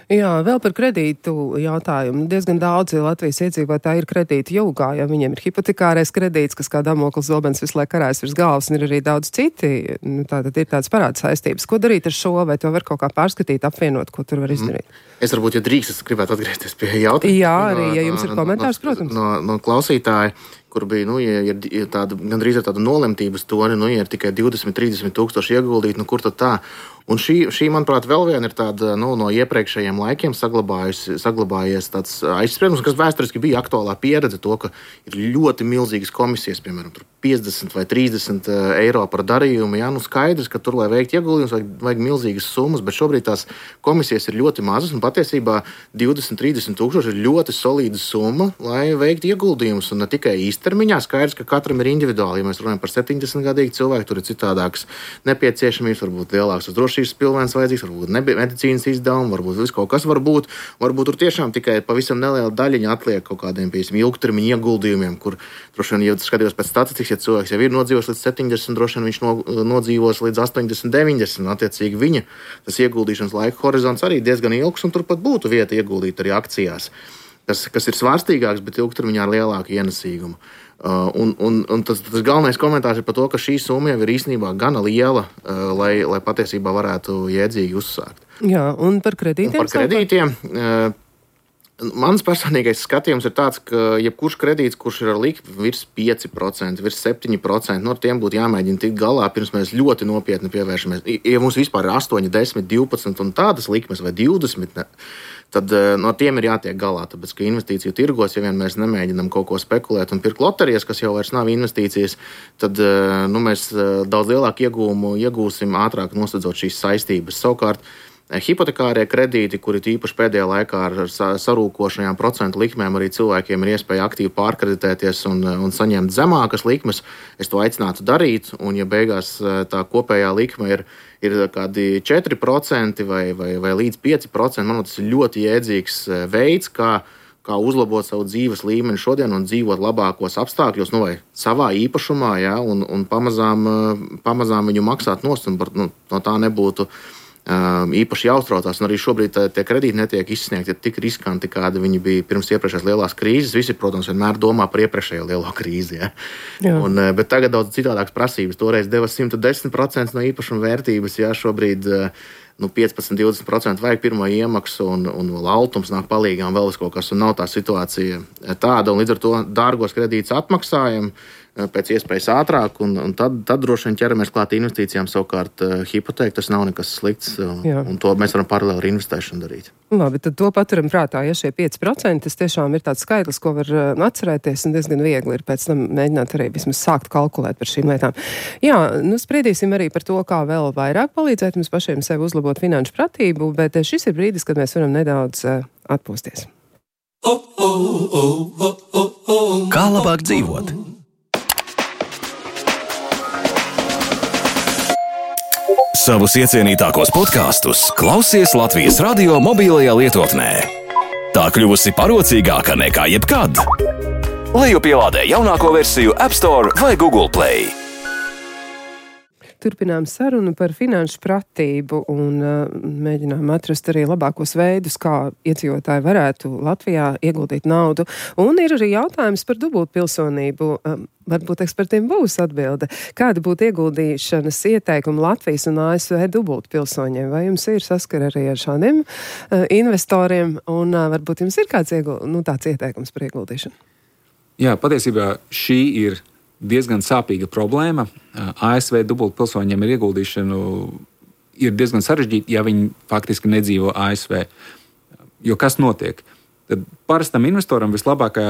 Jā, vēl par kredītu jautājumu. Diezgan daudzi Latvijas iedzīvotāji ir kredīti jūgā, jo viņiem ir hipotekārais kredīts, kas kā Damoklis zobens visu laiku karājas virs galvas, un ir arī daudz citi. Nu, tātad ir tāds parāda saistības. Ko darīt ar šo, vai to var kaut kā pārskatīt, apvienot, ko tur var izdarīt? Mm. Es varbūt, ja drīkst, es gribētu atgriezties pie jautājuma. Jā, arī, ja jums ir komentārs, no, protams. No, no klausītāja, kur bija, nu, ja ir, ir tāda, gandrīz ir tāda nolemtības toni, nu, ja ir tikai divdesmit trīsdesmit tūkstoši ieguldīt, nu, kur tad tā? Un šī, šī, manuprāt, vēl viena ir tāda, nu, no iepriekšējiem laikiem saglabājies tāds aizspriedums, kas vēsturiski bija aktuālā pieredze to, ka ir ļoti milzīgas komisijas, piemēram, piecdesmit vai trīsdesmit eiro par darījumu. Jā, nu skaidrs, ka tur, lai veikt ieguldījumus, vajag, vajag milzīgas summas, bet šobrīd tās komisijas ir ļoti mazas, un patiesībā divdesmit trīsdesit tūkstoši ir ļoti solīda summa, lai veiktu ieguldījumus, un ne tikai īstermiņā. Skaidrs, ka katram ir individuāli. Ja mēs runājam par septiņdesmitgadīgu cilvēku, tur ir citādākas nepieciešamības, varbūt lielākas drošības pilvēns vajadzīgs, varbūt medicīnas izdevumi, varbūt viss kaut kas var būt. Varbūt tur tiešām tikai pavisam neliela daļiņa atliek kaut kādiem, piemēram, ilgtermiņa ieguldījumiem, kur, droši vien, ja skatījos pēc statistikas, ja cilvēks jau ir nodzīvos līdz septiņdesmit, droši vien viņš no, nodzīvos līdz astoņdesmit, deviņdesmit, attiecīgi viņa tas ieguldīšanas laika horizonts arī diezgan ilgs, un turpat būtu vieta ieguldīt arī akcijās, kas, kas ir svārstīgāks, bet ilgtermiņā ar lielāku ienesīgumu. Uh, un, un, un tas, tas galvenais komentārs ir par to, ka šī summa jau ir īstenībā gana liela, uh, lai, lai patiesībā varētu jēdzīgi uzsākt. Jā, un par kredītiem? Un par kredītiem. Uh, Mans personīgais skatījums ir tāds, ka jebkurš kredīts, kurš ir ar likmi virs pieci procenti, virs septiņi procenti, no tiem būtu jāmēģina tikt galā, pirms mēs ļoti nopietni pievēršamies. Ja mums vispār ir astoņi, desmit, divpadsmit un tādas likmes vai divdesmit, ne, tad no tiem ir jātiek galā. Tāpēc, ka investīciju tirgos, ja vien mēs nemēģinām kaut ko spekulēt un pirkt loterijas, kas jau vairs nav investīcijas, tad nu, mēs daudz lielāku iegūmu iegūsim ātrāk nosedzot šīs saistības. Savukārt, hipotekārie kredīti, kuri īpaši pēdējā laikā ar sarūkošajām procentu likmēm arī cilvēkiem ir iespēja aktīvi pārkreditēties un, un saņemt zemākas likmes, es to aicinātu darīt. Un, ja beigās tā kopējā likme ir, ir kādi četri procenti vai, vai, vai līdz pieci procenti, manuprāt, tas ir ļoti jēdzīgs veids, kā, kā uzlabot savu dzīves līmeni šodien un dzīvot labākos apstākļos, nu, vai savā īpašumā, ja, un, un pamazām, pamazām viņu maksāt nost, un no, no tā nebūtu īpaši jāuztraucās, un arī šobrīd tie kredīti netiek izsniegti tik riskanti, kādi viņi bija pirms iepriekšējās lielās krīzes. Visi, protams, vienmēr domā par iepriekšējo lielo krīzi. Ja? Un, bet tagad daudz citādākas prasības. Toreiz deva simt desmit procenti no īpašuma vērtības, ja šobrīd nu, piecpadsmit līdz divdesmit procenti vajag pirmo iemaksu, un, un vēl altums nāk palīgā, un vēl kaut kas, un nav tā situācija tāda, un līdz ar to dārgos kredītus atmaksājam pēc iespējas ātrāk, un, un tad, tad droši vien ķeramies klāt investīcijām. Savukārt hipotēka, tas nav nekas slikts, Jā. un to mēs varam paralēli ar investēšanu darīt. Labi, tad to paturam prātā, ja šie pieci procenti, tas tiešām ir tāds skaitlis, ko var atcerēties, un diezgan viegli ir pēc tam mēģināt arī vismaz sākt kalkulēt par šīm lietām. Jā, nu spriedīsim arī par to, kā vēl vairāk palīdzēt mums pašiem sev uzlabot finanšu pratību, bet šis ir brīdis, kad mēs varam nedaudz atpūsties. Kā labāk dzīvot? Savus iecienītākos podkastus klausies Latvijas radio mobilajā lietotnē. Tā kļuvusi parocīgāka nekā jebkad. Lejupielādē jaunāko versiju App Store vai Google Play. Turpinām sarunu par finanšu pratību un uh, mēģinām atrast arī labākos veidus, kā iedzīvotāji varētu Latvijā ieguldīt naudu. Un ir arī jautājums par dubultpilsonību. Um, varbūt ekspertiem būs atbilde. Kāda būtu ieguldīšanas ieteikuma Latvijas un A S V dubultpilsoņiem? Vai jums ir saskara arī ar šādiem uh, investoriem? Un uh, varbūt jums ir kāds ieguld, nu, tāds ieteikums par ieguldīšanu? Jā, patiesībā šī ir diezgan sāpīga problēma. A S V dubultpilsoņiem ir ieguldīšanu ir diezgan sarežģīti, ja viņi faktiski nedzīvo A S V. Jo kas notiek? Tad parastam investoram vislabākā,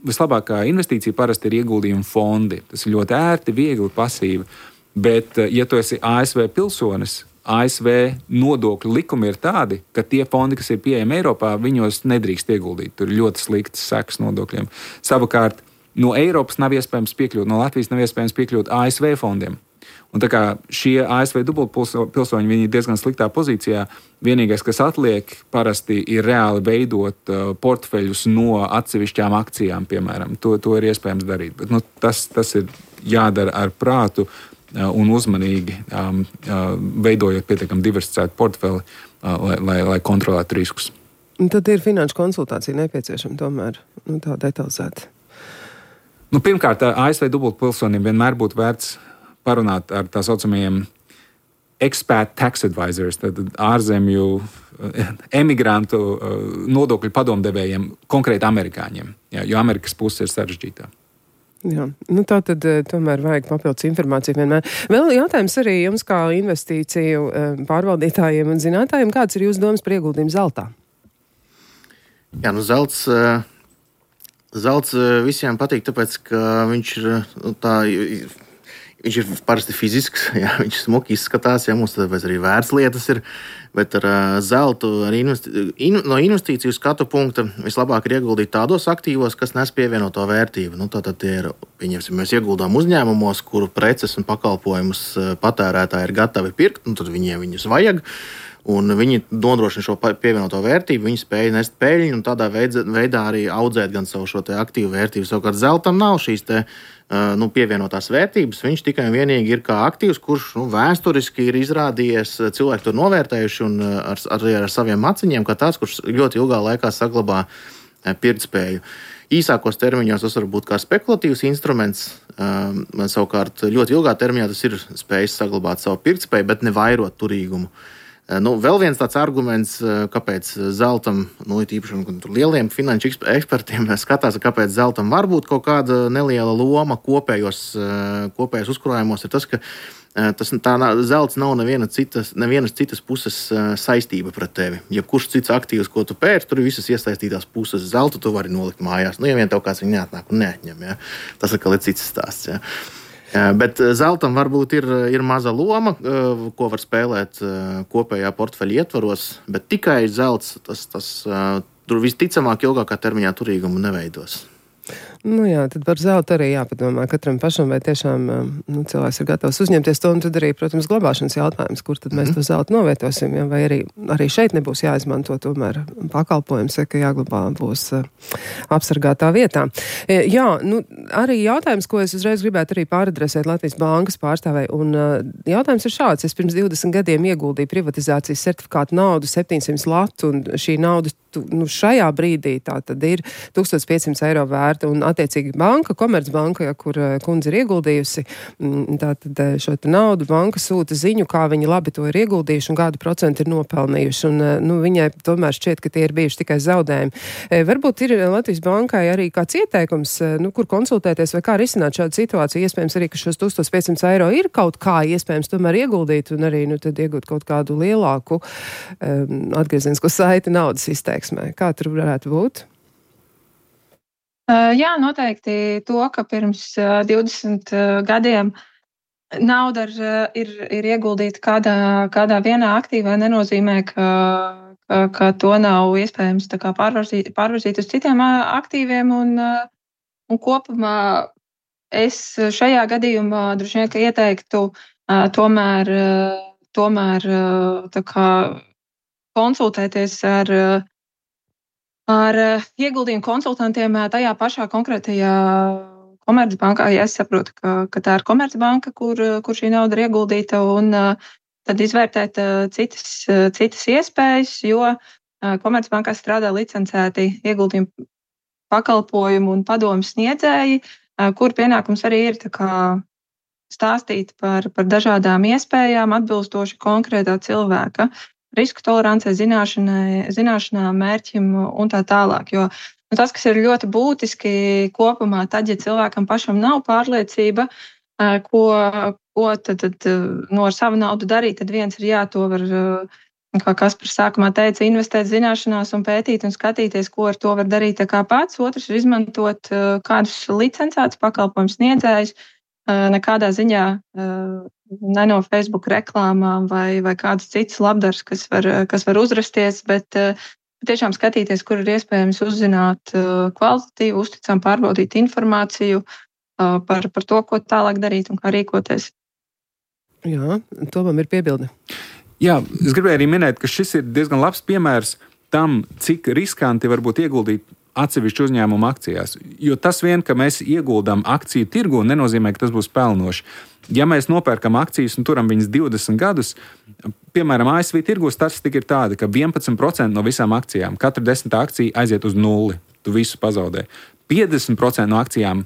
vislabākā investīcija parasti ir ieguldījuma fondi. Tas ir ļoti ērti, viegli, pasīvi. Bet, ja tu esi A S V pilsonis, A S V nodokļu likumi ir tādi, ka tie fondi, kas ir pieejami Eiropā, viņos nedrīkst ieguldīt. Tur ir ļoti sliktas sekas nodokļiem. Savukārt, no Eiropas nav iespējams piekļūt, no Latvijas nav iespējams piekļūt A S V fondiem. Un tā kā šie A S V dubultpilsoņi, viņi ir diezgan sliktā pozīcijā, vienīgais, kas atliek, parasti ir reāli veidot uh, portfeļus no atsevišķām akcijām, piemēram. To, to ir iespējams darīt. Bet, nu, tas, tas ir jādara ar prātu uh, un uzmanīgi, um, uh, veidojot pietiekami diversificētu portfeli, lai, lai, lai kontrolētu riskus. Un tad ir finanšu konsultācija nepieciešama tomēr, nu, tā detalizēta. Nu, pirmkārt, A S V dubultpilsoniem vienmēr būtu vērts parunāt ar tā saucamajiem expat tax advisors, tad ārzemju emigrantu nodokļu padomdevējiem, konkrēti amerikāņiem, jā, jo Amerikas puse ir sarežģītā. Jā, nu tā tad tomēr vajag papildus informāciju vienmēr. Vēl jautājums arī jums kā investīciju pārvaldītājiem un zinātājiem, kāds ir jūsu domas par ieguldījumu zeltā? Jā, nu zelts, zelts visiem patīk, tāpēc, ka viņš ir nu, tā... Viņš ir parasti fizisks, jā, viņš smuki izskatās, jā, mums tāpēc arī vērtslietas ir, bet ar uh, zeltu arī investi in no investīciju skatu punkta vislabāk ir ieguldīt tādos aktīvos, kas nes pievienoto vērtību. Nu, tātad tie ir, pieņemsim, mēs ieguldām uzņēmumos, kuru preces un pakalpojumus patērētāji ir gatavi pirkt, un tad viņiem viņus vajag. Un viņi nodrošina šo pievienoto vērtību, viņi spēja nest peļņu un tādā veidā arī audzēt gan savu šo te aktīvu vērtību. Savukārt zeltam nav šīs te, nu, pievienotās vērtības, viņš tikai un vienīgi ir kā aktīvs, kurš nu, vēsturiski ir izrādījies, cilvēki to novērtējuši un ar, arī ar saviem maciņiem, kā tāds, kurš ļoti ilgā laikā saglabā pirktspēju. Īsākos termiņos tas var būt kā spekulatīvs instruments, savukārt ļoti ilgā termiņā tas ir spējis saglabāt savu pirktspēju, bet ne vairot turīgumu. Nu, vēl viens tāds arguments, kāpēc zeltam, nu, īpaši lieliem finanšu ekspertiem skatās, kāpēc zeltam var būt kaut kāda neliela loma kopējos, kopējos uzkrājumos, ir tas, ka tas, tā zelts nav neviena citas, nevienas citas puses saistība pret tevi. Ja kurš cits aktīvs, ko tu pērci, tur ir visas iesaistītās puses. Zeltu tu vari nolikt mājās. Nu, ja vien tev kāds viņu neatnāk un neatņem, ja? Tas atkal ir cits stāsts. Ja? Bet zeltam varbūt ir, ir maza loma, ko var spēlēt kopējā portfeļa ietvaros, bet tikai zelts, tas, tas tur visticamāk ilgākā termiņā turīgumu neveidos. Nu jā, tad par zeltu arī jāpadomā katram pašam, vai tiešām nu, cilvēks ir gatavs uzņemties to, un tad arī, protams, glabāšanas jautājums, kur tad mēs to zeltu novietosim, ja? Vai arī, arī šeit nebūs jāizmanto tomēr pakalpojums, ka jāglabā būs apsargātā vietā. Jā, nu, arī jautājums, ko es uzreiz gribētu arī pāradresēt Latvijas bankas pārstāvei, un jautājums ir šāds. Es pirms divdesmit gadiem ieguldīju privatizācijas certifikātu naudu septiņsimt latu, un šī nauda nu, šajā brīdī tā tad ir tūkstoš piecsimt eiro vērta, un attiecīgi banka, Komercbanka, ja, kur kundze ir ieguldījusi, tā tad šo naudu banka sūta ziņu, kā viņi labi to ir ieguldījuši un kādu procentu ir nopelnījuši, un nu, viņai tomēr šķiet, ka tie ir bijuši tikai zaudējumi. Varbūt ir Latvijas bankai arī kāds ieteikums, nu, kur konsultēties vai kā risināt šādu situāciju, iespējams arī, ka šos tūkstoš piecsimt eiro ir kaut kā iespējams tomēr ieguldīt un arī, nu, tad iegūt kaut kādu lielāku um, atgriezienisko saiti naudas izteiksmē. Kā tur varētu būt? Uh, jā, noteikti to, ka pirms uh, divdesmit uh, gadiem nauda ir, ir, ir ieguldīta kādā, kādā vienā aktīvā, nenozīmē, ka, ka, ka to nav iespējams tā kā pārvirzīt, pārvirzīt uz citiem uh, aktīviem. Un, uh, un kopumā es šajā gadījumā droši vien, ka ieteiktu uh, tomēr, uh, tomēr uh, tā kā konsultēties ar uh, ar ieguldījumu konsultantiem tajā pašā konkrētajā Komercbankā. Ja es saprotu, ka, ka tā ir Komercbanka, kur, kur šī nauda ir ieguldīta, un tad izvērtēt citas, citas iespējas, jo Komercbankā strādā licencēti ieguldījumu pakalpojumu un padomu sniedzēji, kur pienākums arī ir tā kā stāstīt par, par dažādām iespējām atbilstoši konkrētā cilvēka risku tolerancei, zināšanām, mērķim un tā tālāk. Jo nu, tas, kas ir ļoti būtiski kopumā, tad, ja cilvēkam pašam nav pārliecība, ko, ko tad, tad no ar savu naudu darīt, tad viens ir jā, to var, kā Kaspars sākumā teica, investēt zināšanās un pētīt un skatīties, ko ar to var darīt tā kā pats. Otrs ir izmantot kādus licencētus pakalpojumu sniedzējus, nekādā ziņā ne no Facebook reklāmām vai, vai kāds cits labdars, kas var, kas var uzrasties, bet tiešām skatīties, kur ir iespējams uzzināt kvalitatīvu, uzticam, pārbaudīt informāciju par, par to, ko tālāk darīt un kā rīkoties. Jā, Tomam ir piebilde. Jā, es gribēju arī minēt, ka šis ir diezgan labs piemērs tam, cik riskanti var būt ieguldīt atsevišķu uzņēmumu akcijās. Jo tas vien, ka mēs ieguldām akciju tirgu, nenozīmē, ka tas būs pelnoši. Ja mēs nopērkam akcijas un turam viņas divdesmit gadus, piemēram, A S V tirgu statistika ir tāda, ka vienpadsmit procenti no visām akcijām, katra desmitā akcija aiziet uz nulli, tu visu pazaudē. piecdesmit procenti no akcijām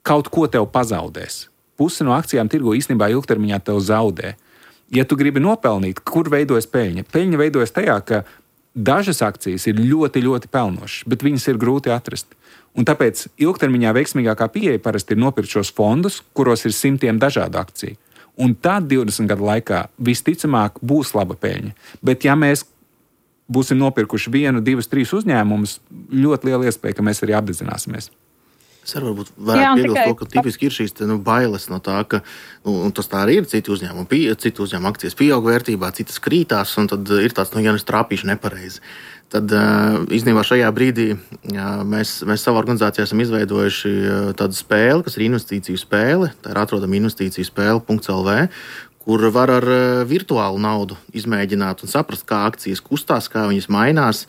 kaut ko tev pazaudēs. Puse no akcijām tirgu īstenībā ilgtermiņā tev zaudē. Ja tu gribi nopelnīt, kur veidojas peļņa? Peļņa veidojas tajā, ka dažas akcijas ir ļoti, ļoti pelnošas, bet viņas ir grūti atrast. Un tāpēc ilgtermiņā veiksmīgākā pieeja parasti ir nopirkt šos fondus, kuros ir simtiem dažādu akciju. Un tad divdesmit gadu laikā visticamāk būs laba peļņa. Bet ja mēs būsim nopirkuši vienu, divus, trīs uzņēmumus, ļoti liela iespēja, ka mēs arī apdedzināsimies. Es arī varbūt varētu piebilst to, ka tipiski ir šīs te, nu, bailes no tā, ka, nu, un tas tā arī ir, citi uzņēmumi, pie, citi uzņēmumi akcijas pieaug vērtībā, citas krītās, un tad ir tāds, nu, ja es trāpīšu nepareizi. Tad īstenībā šajā brīdī mēs, mēs savā organizācijā esam izveidojuši tādu spēli, kas ir investīciju spēle, tā ir atrodama investīciju spēle punkts L V, kur var ar virtuālu naudu izmēģināt un saprast, kā akcijas kustās, kā viņas mainās,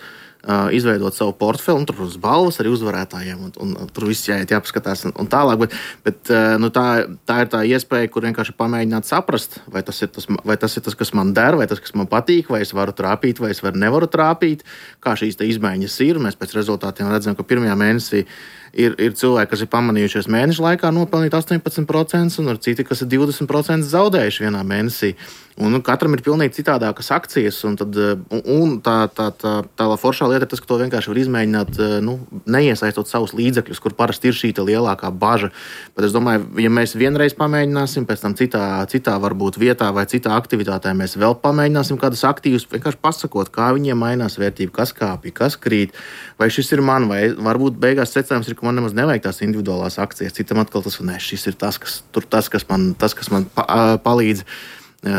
izveidot savu portfeli, un tur, protams, balvas arī uzvarētājiem, un, un, un tur viss jāiet, jāpaskatās un, un tālāk, bet, bet nu, tā, tā ir tā iespēja, kur vienkārši pamēģināt saprast, vai tas, ir tas, vai tas ir tas, kas man der, vai tas, kas man patīk, vai es varu trāpīt, vai es varu nevaru trāpīt, kā šīs te izmaiņas ir. Mēs pēc rezultātiem redzam, ka pirmajā mēnesī ir, ir cilvēki, kas ir pamanījušies mēneša laikā nopelnīt astoņpadsmit procenti, un ir citi, kas ir divdesmit procenti zaudējuši vienā mēnesī. Un, nu, katram ir pilnīgi citādākas akcijas, un, tad, un, un tā, tā, tā, tā foršā lieta ir tas, ka to vienkārši var izmēģināt, nu, neiesaistot savus līdzekļus, kur parasti ir šī lielākā baža. Bet es domāju, ja mēs vienreiz pamēģināsim, pēc tam citā, citā varbūt vietā vai citā aktivitātē mēs vēl pamēģināsim kādus aktīvus, vienkārši pasakot, kā viņiem mainās vērtība, kas kāpj, kas krīt, vai šis ir man, vai varbūt beigās secinājums ir, ka man nemaz nevajag tās individuālās akcijas, citam atkal tas, ne, šis ir tas, kas, tur, tas, kas man, tas, kas man pa, palīdz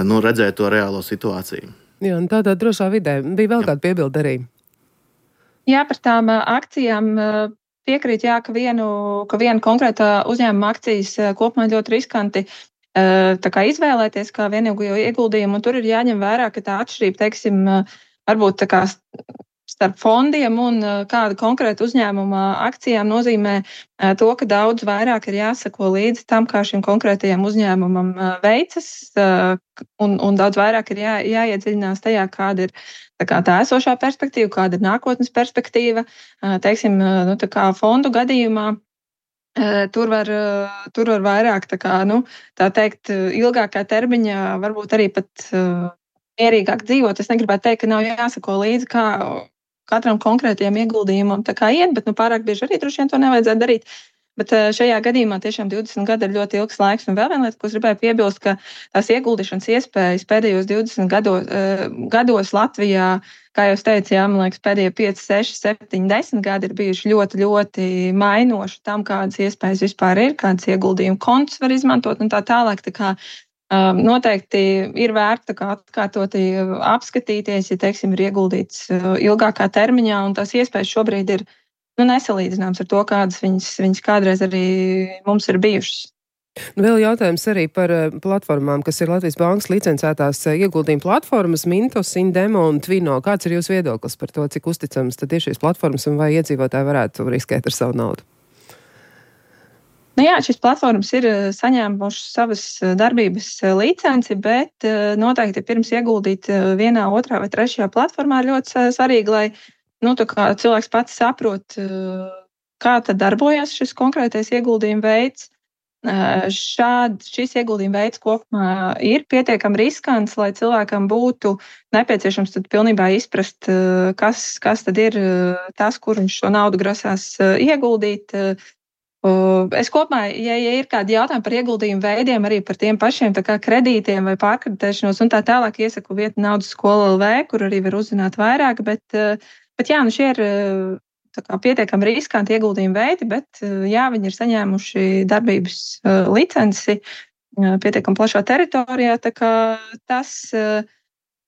nu, redzēt to reālo situāciju. Jā, un tādā drošā vidē bija vēl kāda piebilde arī. Jā, par tām akcijām piekrīt, jā, ka vienu, ka vienu konkrētā uzņēmuma akcijas kopumā ļoti riskanti tā kā izvēlēties kā vienīgo ieguldījumu, un tur ir jāņem vērā, ka tā atšķirība, teiksim, varbūt tā kā starp fondiem un kāda konkrēta uzņēmuma akcijām nozīmē to, ka daudz vairāk ir jāsako līdzi tam, kā šim konkrētajam uzņēmumam veicas, un, un daudz vairāk ir jā, jāiedziļinās tajā, kāda ir tā, kā tā esošā perspektīva, kāda ir nākotnes perspektīva. Teiksim, nu, tā kā fondu gadījumā tur var, tur var vairāk, tā kā, nu, tā teikt, ilgākā termiņā varbūt arī pat mierīgāk dzīvot. Es negribētu teikt, ka nav jāsako līdzi, kā katram konkrētajam ieguldījumam tā kā iet, bet nu, pārāk bieži arī droši vien to nevajadzētu darīt. Bet šajā gadījumā tiešām divdesmit gadi ir ļoti ilgs laiks. Un vēl viena lieta, ko es gribēju piebilst, ka tās ieguldīšanas iespējas pēdējos divdesmit gados, gados Latvijā, kā jau teicu, jā, man liekas, pēdējie pieci, seši, septiņi, desmit gadi ir bijuši ļoti, ļoti mainoši tam, kādas iespējas vispār ir, kādas ieguldījumu kontus var izmantot un tā tālāk. Tā kā noteikti ir vērts atkārtoti apskatīties, ja, teiksim, ir ieguldīts ilgākā termiņā, un tās iespējas šobrīd ir nu, nesalīdzināmas ar to, kādas viņas, viņas kādreiz arī mums ir bijušas. Vēl jautājums arī par platformām, kas ir Latvijas Bankas licencētās ieguldījuma platformas, Mintos, Indemo un Twino. Kāds ir jūsu viedoklis par to, cik uzticams tad ir šīs platformas un vai iedzīvotāji varētu riskēt ar savu naudu? Nu jā, šīs platformas ir saņēmušas savas darbības licenci, bet noteikti pirms ieguldīt vienā, otrā vai trešajā platformā ir ļoti svarīgi, lai nu, tā kā cilvēks pats saprot, kā tad darbojas šis konkrētais ieguldījuma veids. Šād, šis ieguldījuma veids kopumā ir pietiekami riskants, lai cilvēkam būtu nepieciešams tad pilnībā izprast, kas, kas tad ir tas, kur viņš šo naudu grasās ieguldīt. Es kopumā, ja, ja ir kādi jautājumi par ieguldījumu veidiem, arī par tiem pašiem tā kā kredītiem vai pārkreditēšanos un tā tālāk, iesaku vietu Naudas skola L V, kur arī var uzzināt vairāk, bet, bet jā, nu šie ir tā kā pietiekami riskanti ieguldījumu veidi, bet jā, viņi ir saņēmuši darbības licenci pietiekami plašā teritorijā, tā kā tas,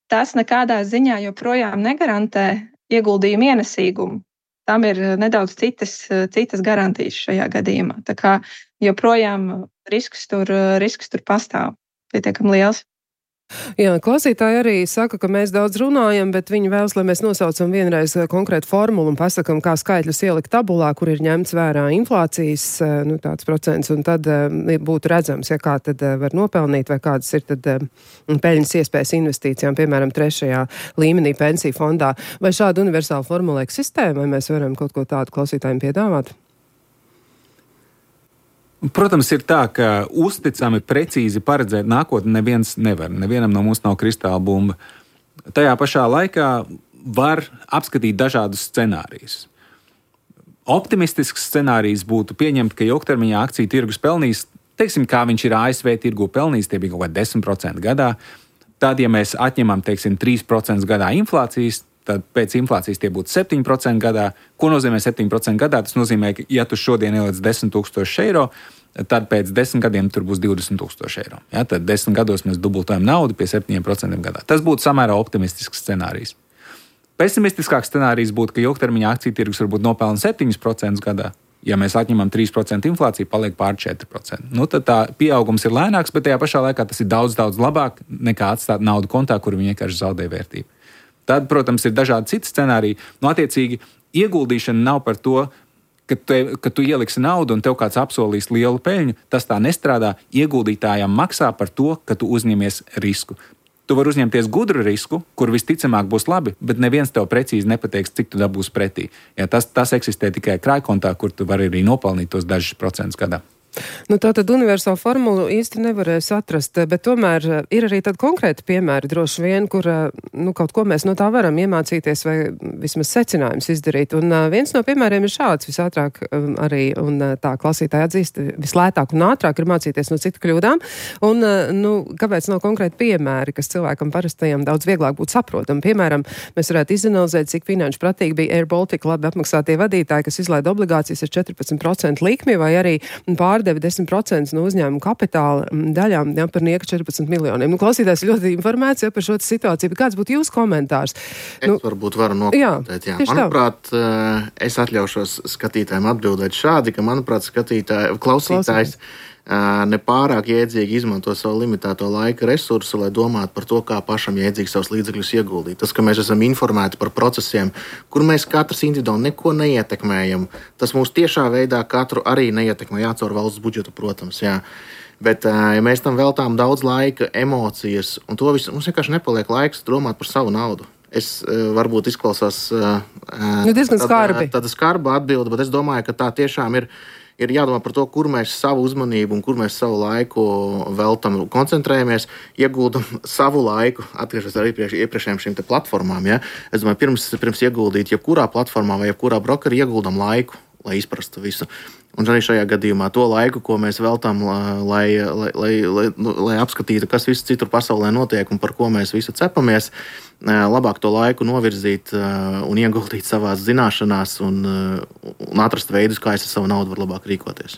tas nekādā ziņā joprojām negarantē ieguldījumu ienesīgumu. Tam ir nedaudz citas, citas garantijas šajā gadījumā. Tā kā joprojām risks tur, risks tur pastāv pietiekami liels. Jā, klausītāji arī saka, ka mēs daudz runājam, bet viņi vēlas, lai mēs nosaucam vienreiz konkrētu formulu un pasakam, kā skaitļus ielikt tabulā, kur ir ņemts vērā inflācijas, nu, tāds procents, un tad būtu redzams, ja kā tad var nopelnīt, vai kādas ir tad peļņas iespējas investīcijām, piemēram, trešajā līmenī pensiju fondā. Vai šāda universāla formula eksistē, vai mēs varam kaut ko tādu klausītājiem piedāvāt? Protams, ir tā, ka uzticami, precīzi paredzēt nākotni neviens nevar. Nevienam no mums nav kristāla bumba. Tajā pašā laikā var apskatīt dažādus scenārijus. Optimistisks scenārijs būtu pieņemt, ka ilgtermiņā akciju tirgus pelnīs, teiksim, kā viņš ir A S V tirgu pelnījis, tie bija kaut kā desmit procenti gadā. Tad, ja mēs atņemam, teiksim, trīs procenti gadā inflācijas, tad pēc inflācijas tie būtu septiņi procenti gadā. Ko nozīmē septiņi procenti gadā? Tas nozīmē, ka, ja tu šodien ieliec desmit tūkstoši eiro, tad pēc desmit gadiem tur būs divdesmit tūkstoši eiro. Ja, tad desmit gados mēs dubultojam naudu pie septiņiem procentiem gadā. Tas būtu samērā optimistisks scenārijs. Pesimistiskāks scenārijs būtu, ka ilgtermiņā akciju tirgus varbūt nopelna septiņi procenti gadā. Ja mēs atņemam trīs procenti inflāciju, paliek pār četri procenti. Nu, tad tā pieaugums ir lēnāks, bet tajā pašā laikā tas ir daudz, daudz labāk nekā atstāt naudu kontā, kur viņi vienkārši zaudē vērtību. Tad, protams, ir dažādi citi scenāriji. Nu, attiecīgi, ieguldīšana nav par to, ka tu, ka tu ieliksi naudu un tev kāds apsolīs lielu peļņu. Tas tā nestrādā. Ieguldītājam maksā par to, ka tu uzņemies risku. Tu vari uzņemties gudru risku, kur visticamāk būs labi, bet neviens tev precīzi nepateiks, cik tu dabūsi pretī. Ja, tas, tas eksistē tikai krājkontā, kur tu vari arī nopelnīt tos dažus procentus gadā. Nu, tā tad universālu formulu īsti nevarēs atrast, bet tomēr ir arī tad konkrēti piemēri droši vien, kur nu, kaut ko mēs no tā varam iemācīties vai vismaz secinājums izdarīt. Un uh, viens no piemēriem ir šāds visātrāk um, arī, un uh, tā klasītāji atzīst, vislētāk un ātrāk ir mācīties no citu kļūdām. Un, uh, nu, kāpēc nav konkrēti piemēri, kas cilvēkam parastajam daudz vieglāk būtu saprotam? Piemēram, mēs varētu izanalizēt, cik finanšu pratīgi bija Air Baltica labi apmaksātie vadītāji, kas izlaida obligācijas ar četrpadsmit procentu likmi vai arī pār deva desmit procenti no uzņēmuma kapitāla daļām, ja, par nieka četrpadsmit miljoniem. Nu, klausītājs ļoti informēts, ja, par šo situāciju, bet kāds būtu jūsu komentārs? Es nu, varbūt varu nokomentēt, jā. jā. Manuprāt, tā. Es atļaušos skatītājiem atbildēt šādi, ka, manuprāt, skatītāji, klausītājs nepārāk jēdzīgi izmanto savu limitēto laika resursu, lai domātu par to, kā pašam jēdzīgi savus līdzekļus ieguldīt. Tas, ka mēs esam informēti par procesiem, kur mēs katrs individuāli neko neietekmējam, tas mūs tiešā veidā katru arī neietekmē, jācaur valsts budžetu, protams, jā. Bet, ja mēs tam veltām daudz laika, emocijas, un to visu, mums vienkārši nepaliek laiks domāt par savu naudu. Es varbūt izklausās nu, diezgan skarbi. Tāda skarba atbilde, bet es domāju, ka tā tiešām ir Ir jādomā par to, kur mēs savu uzmanību un kur mēs savu laiku veltam, koncentrējamies, ieguldam savu laiku, atgriežos arī pie iepriekšējām šīm te platformām. Ja? Es domāju, pirms, pirms ieguldīt jebkurā platformā vai jebkurā brokerī ieguldam laiku, lai izprastu visu. Un arī šajā gadījumā to laiku, ko mēs veltam, lai, lai, lai, lai, lai apskatītu, kas viss citur pasaulē notiek un par ko mēs visu cepamies, labāk to laiku novirzīt un ieguldīt savās zināšanās un, un atrast veidus, kā es ar savu naudu varu labāk rīkoties.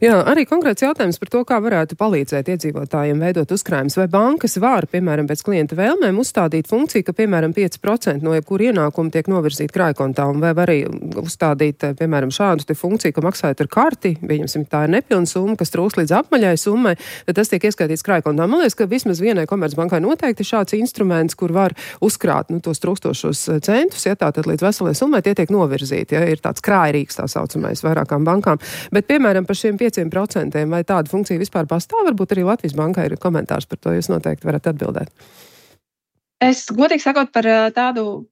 Jā, arī konkrēts jautājums par to, kā varētu palīdzēt iedzīvotājiem veidot uzkrājumus. Vai bankas var, piemēram, pēc klienta vēlmēm uzstādīt funkciju, ka, piemēram, pieci procenti no jebkura ienākuma tiek novirzīti krājkontā, un vai var arī uzstādīt, piemēram, šādu te funkciju, ka maksājot ar karti, pieņemsim, tā ir nepilna summa, kas trūkst līdz apmaļai summai, tad tas tiek ieskaitīts krājkontā. Man liekas, ka vismaz vienai komercbankai noteikti šāds instruments, kur var uzkrāt nu, tos trūkstošos centus, ja tā tad līdz veselai summai tie tiek novirzīti, ja ir tāds krājrīks tā saucamais vairākām bankām. Bet, piemēram, par šiem pieciem procentiem vai tāda funkcija vispār pastāv, varbūt arī Latvijas bankai ir komentārs par to, jūs noteikti varat atbildēt. Es godīgi sakot par tādu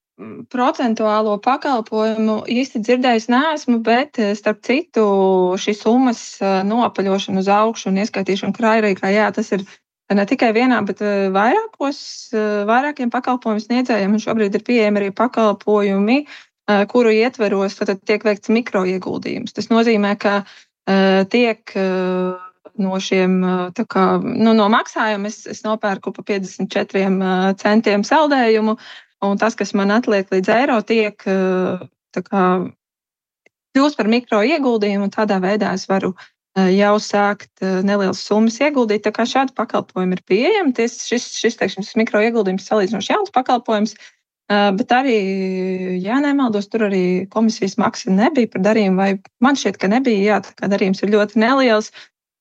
procentuālo pakalpojumu īsti dzirdējis neesmu, bet starp citu šī summas nopaļošana uz augšu un ieskaitīšana krājrīkā, jā, tas ir ne tikai vienā, bet vairākos, vairākiem pakalpojumu sniedzējiem, un šobrīd ir pieejami arī pakalpojumi, kuru ietveros tad tiek veikts mikroieguldījums. Tas nozīmē, ka tiek no šiem, tā kā, nu, no maksājuma es, es nopērku pa piecdesmit četriem centiem saldējumu, un tas, kas man atliek līdz eiro, tiek tā kā kļūst par mikroieguldījumu, un tādā veidā es varu jau sākt nelielas summas ieguldīt. Tā kā šādi pakalpojumi ir pieejami. Ties, šis, šis, teiksim, šis mikroieguldījums salīdzinoši jauns pakalpojums, bet arī, ja nemaldos, tur arī komisijas maksa nebija par darījumu, vai man šķiet, ka nebija, jā, tā kā darījums ir ļoti neliels.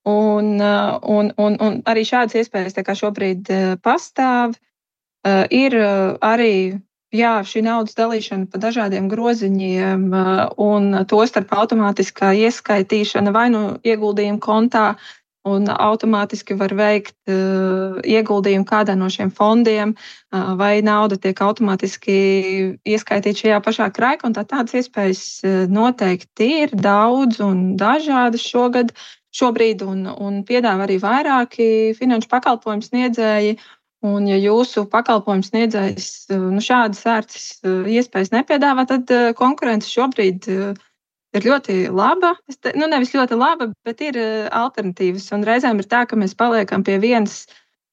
Un, un, un, un arī šādas iespējas tā kā šobrīd pastāv. Ir arī jā, šī naudas dalīšana pa dažādiem groziņiem un tostarp automātiskā ieskaitīšana vai nu ieguldījumu kontā un automātiski var veikt uh, ieguldījumu kādā no šiem fondiem, uh, vai nauda tiek automātiski ieskaitīta šajā pašā krājkontā. Tādas iespējas uh, noteikti ir daudz un dažādas šogad, šobrīd, un, un piedāvā arī vairāki finanšu pakalpojumu sniedzēji. Un, ja jūsu pakalpojumu sniedzējs uh, nu, šādas ērtas uh, iespējas nepiedāvā, tad uh, konkurence šobrīd uh, ir ļoti laba. Te, nu, nevis ļoti laba, bet ir uh, alternatīvas. Un reizēm ir tā, ka mēs paliekam pie vienas,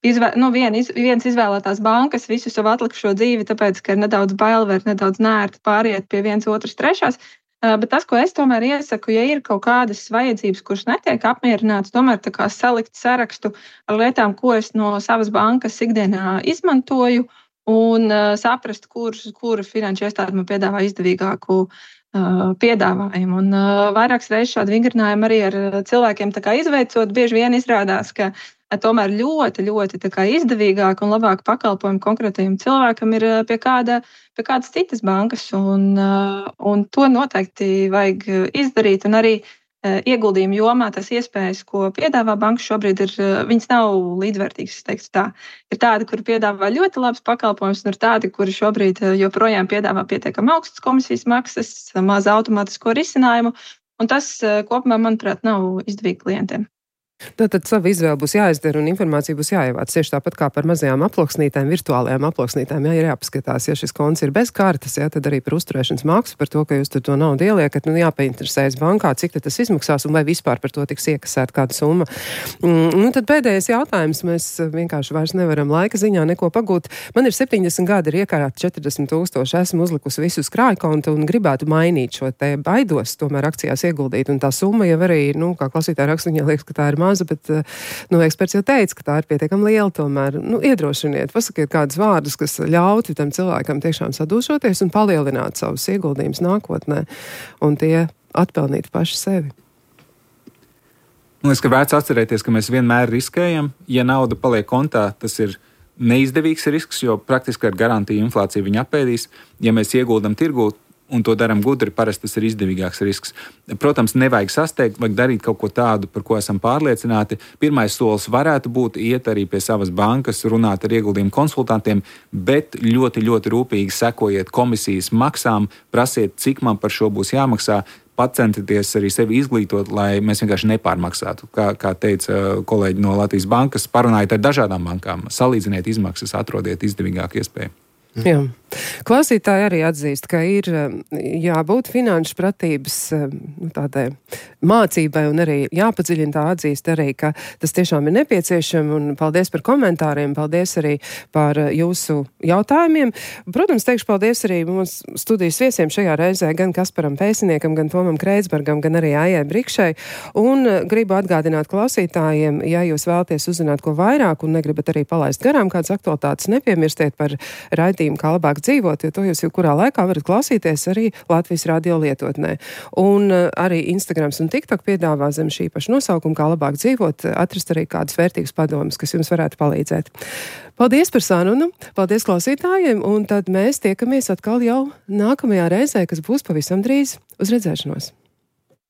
izvē, nu, vien, iz, vienas izvēlētās bankas visu savu atlikušo dzīvi, tāpēc, ka ir nedaudz bail vai nedaudz nērti pāriet pie vienas otras trešās. Uh, bet tas, ko es tomēr iesaku, ja ir kaut kādas vajadzības, kuras netiek apmierinātas, tomēr tā kā salikt sarakstu ar lietām, ko es no savas bankas ikdienā izmantoju, un uh, saprast, kur, kura finanšu iestāde man piedāvā izdevīgāku piedāvājumu. Un uh, vairākas reizes šādu vingrinājumu arī ar cilvēkiem tā kā izveicot, bieži vien izrādās, ka uh, tomēr ļoti, ļoti tā kā izdevīgāk un labāk pakalpojumu konkrētajam cilvēkam ir uh, pie, kāda, pie kādas citas bankas. Un, uh, un to noteikti vajag izdarīt. Un arī uh, ieguldījumu jomā tas iespējas, ko piedāvā banka šobrīd, ir, uh, viņas nav līdzvērtīgas, es teiktu tā. Ir tādi, kuri piedāvā ļoti labs pakalpojums, un ir tādi, kuri šobrīd joprojām piedāvā pietiekami augstas komisijas maksas, maz automātisko risinājumu, un tas kopumā, manuprāt, nav izdevīgi klientiem. Tātad savu izvēli būs jāizdara un informācija būs jāievāc. Tieši tāpat kā par mazajām aploksnītēm, virtuālajām aploksnītēm, ja ir jāpaskatās, ja šis konts ir bez kartes, ja, tad arī par uzturēšanas maksu, par to, ka jūs tur to naudu ieliekat, nu jāpainteresējas bankā, cik tas izmaksās un vai vispār par to tiks iekasēt kāda summa. Mm, nu tad pēdējais jautājums, mēs vienkārši vairs nevaram laika ziņā neko pagūt. Man ir septiņdesmit gadi, ir iekārāti četrdesmit tūkstoši, esmu uzlikusi visu uz krājkontu un gribētu mainīt šo te baidos, tomēr akcijās ieguldīt, un tā summa jau arī, nu, kā klausītāja raksta, viņa liekas, ka tā ir maza, bet, nu, eksperts jau teica, ka tā ir pietiekami liela tomēr. Nu, iedrošiniet, pasakiet kādus vārdus, kas ļautu tam cilvēkam tiešām sadūšoties un palielināt savus ieguldījumus nākotnē, un tie atpelnīt paši sevi. Man liekas, ka vērts atcerēties, ka mēs vienmēr riskējam. Ja nauda paliek kontā, tas ir neizdevīgs risks, jo praktiski ar garantiju inflāciju viņa apēdīs. Ja mēs ieguldam tirgū, un to darām gudri, parasti tas ir izdevīgāks risks. Protams, nevajag sasteigt, vajag darīt kaut ko tādu, par ko esam pārliecināti. Pirmais solis varētu būt iet arī pie savas bankas, runāt ar ieguldījumu konsultantiem, bet ļoti, ļoti rūpīgi sekojiet komisijas maksām, prasiet, cik man par šo būs jāmaksā, pacentieties arī sevi izglītot, lai mēs vienkārši nepārmaksātu. Kā, kā teica kolēģi no Latvijas bankas, parunājiet ar dažādām bankām, salīdziniet izmaksas, atrodiet izdevīgāku iespēju. Jā. Klausītāji arī atzīst, ka ir jābūt finanšu pratības tādai mācībai un arī jāpadziļina tā atzīst arī, ka tas tiešām ir nepieciešami, un paldies par komentāriem, paldies arī par jūsu jautājumiem. Protams, teikšu paldies arī mums studijas viesiem šajā reizē, gan Kasparam Pēsiniekam, gan Tomam Kreitsbergam, gan arī Aijai Brikšai, un gribu atgādināt klausītājiem, ja jūs vēlaties uzzināt ko vairāk un negribat arī palaist garām kādas aktualitātes, nepiemirstiet par raidījumu Kā labāk dzīvot, jo to jūs jau kurā laikā varat klausīties arī Latvijas radio lietotnē. Un uh, arī Instagrams un TikTok piedāvā zem šī paša nosaukuma Kā labāk dzīvot, atrast arī kādus vērtīgus padomus, kas jums varētu palīdzēt. Paldies par sarunu, paldies klausītājiem, un tad mēs tiekamies atkal jau nākamajā reizē, kas būs pavisam drīz. Uz redzēšanos!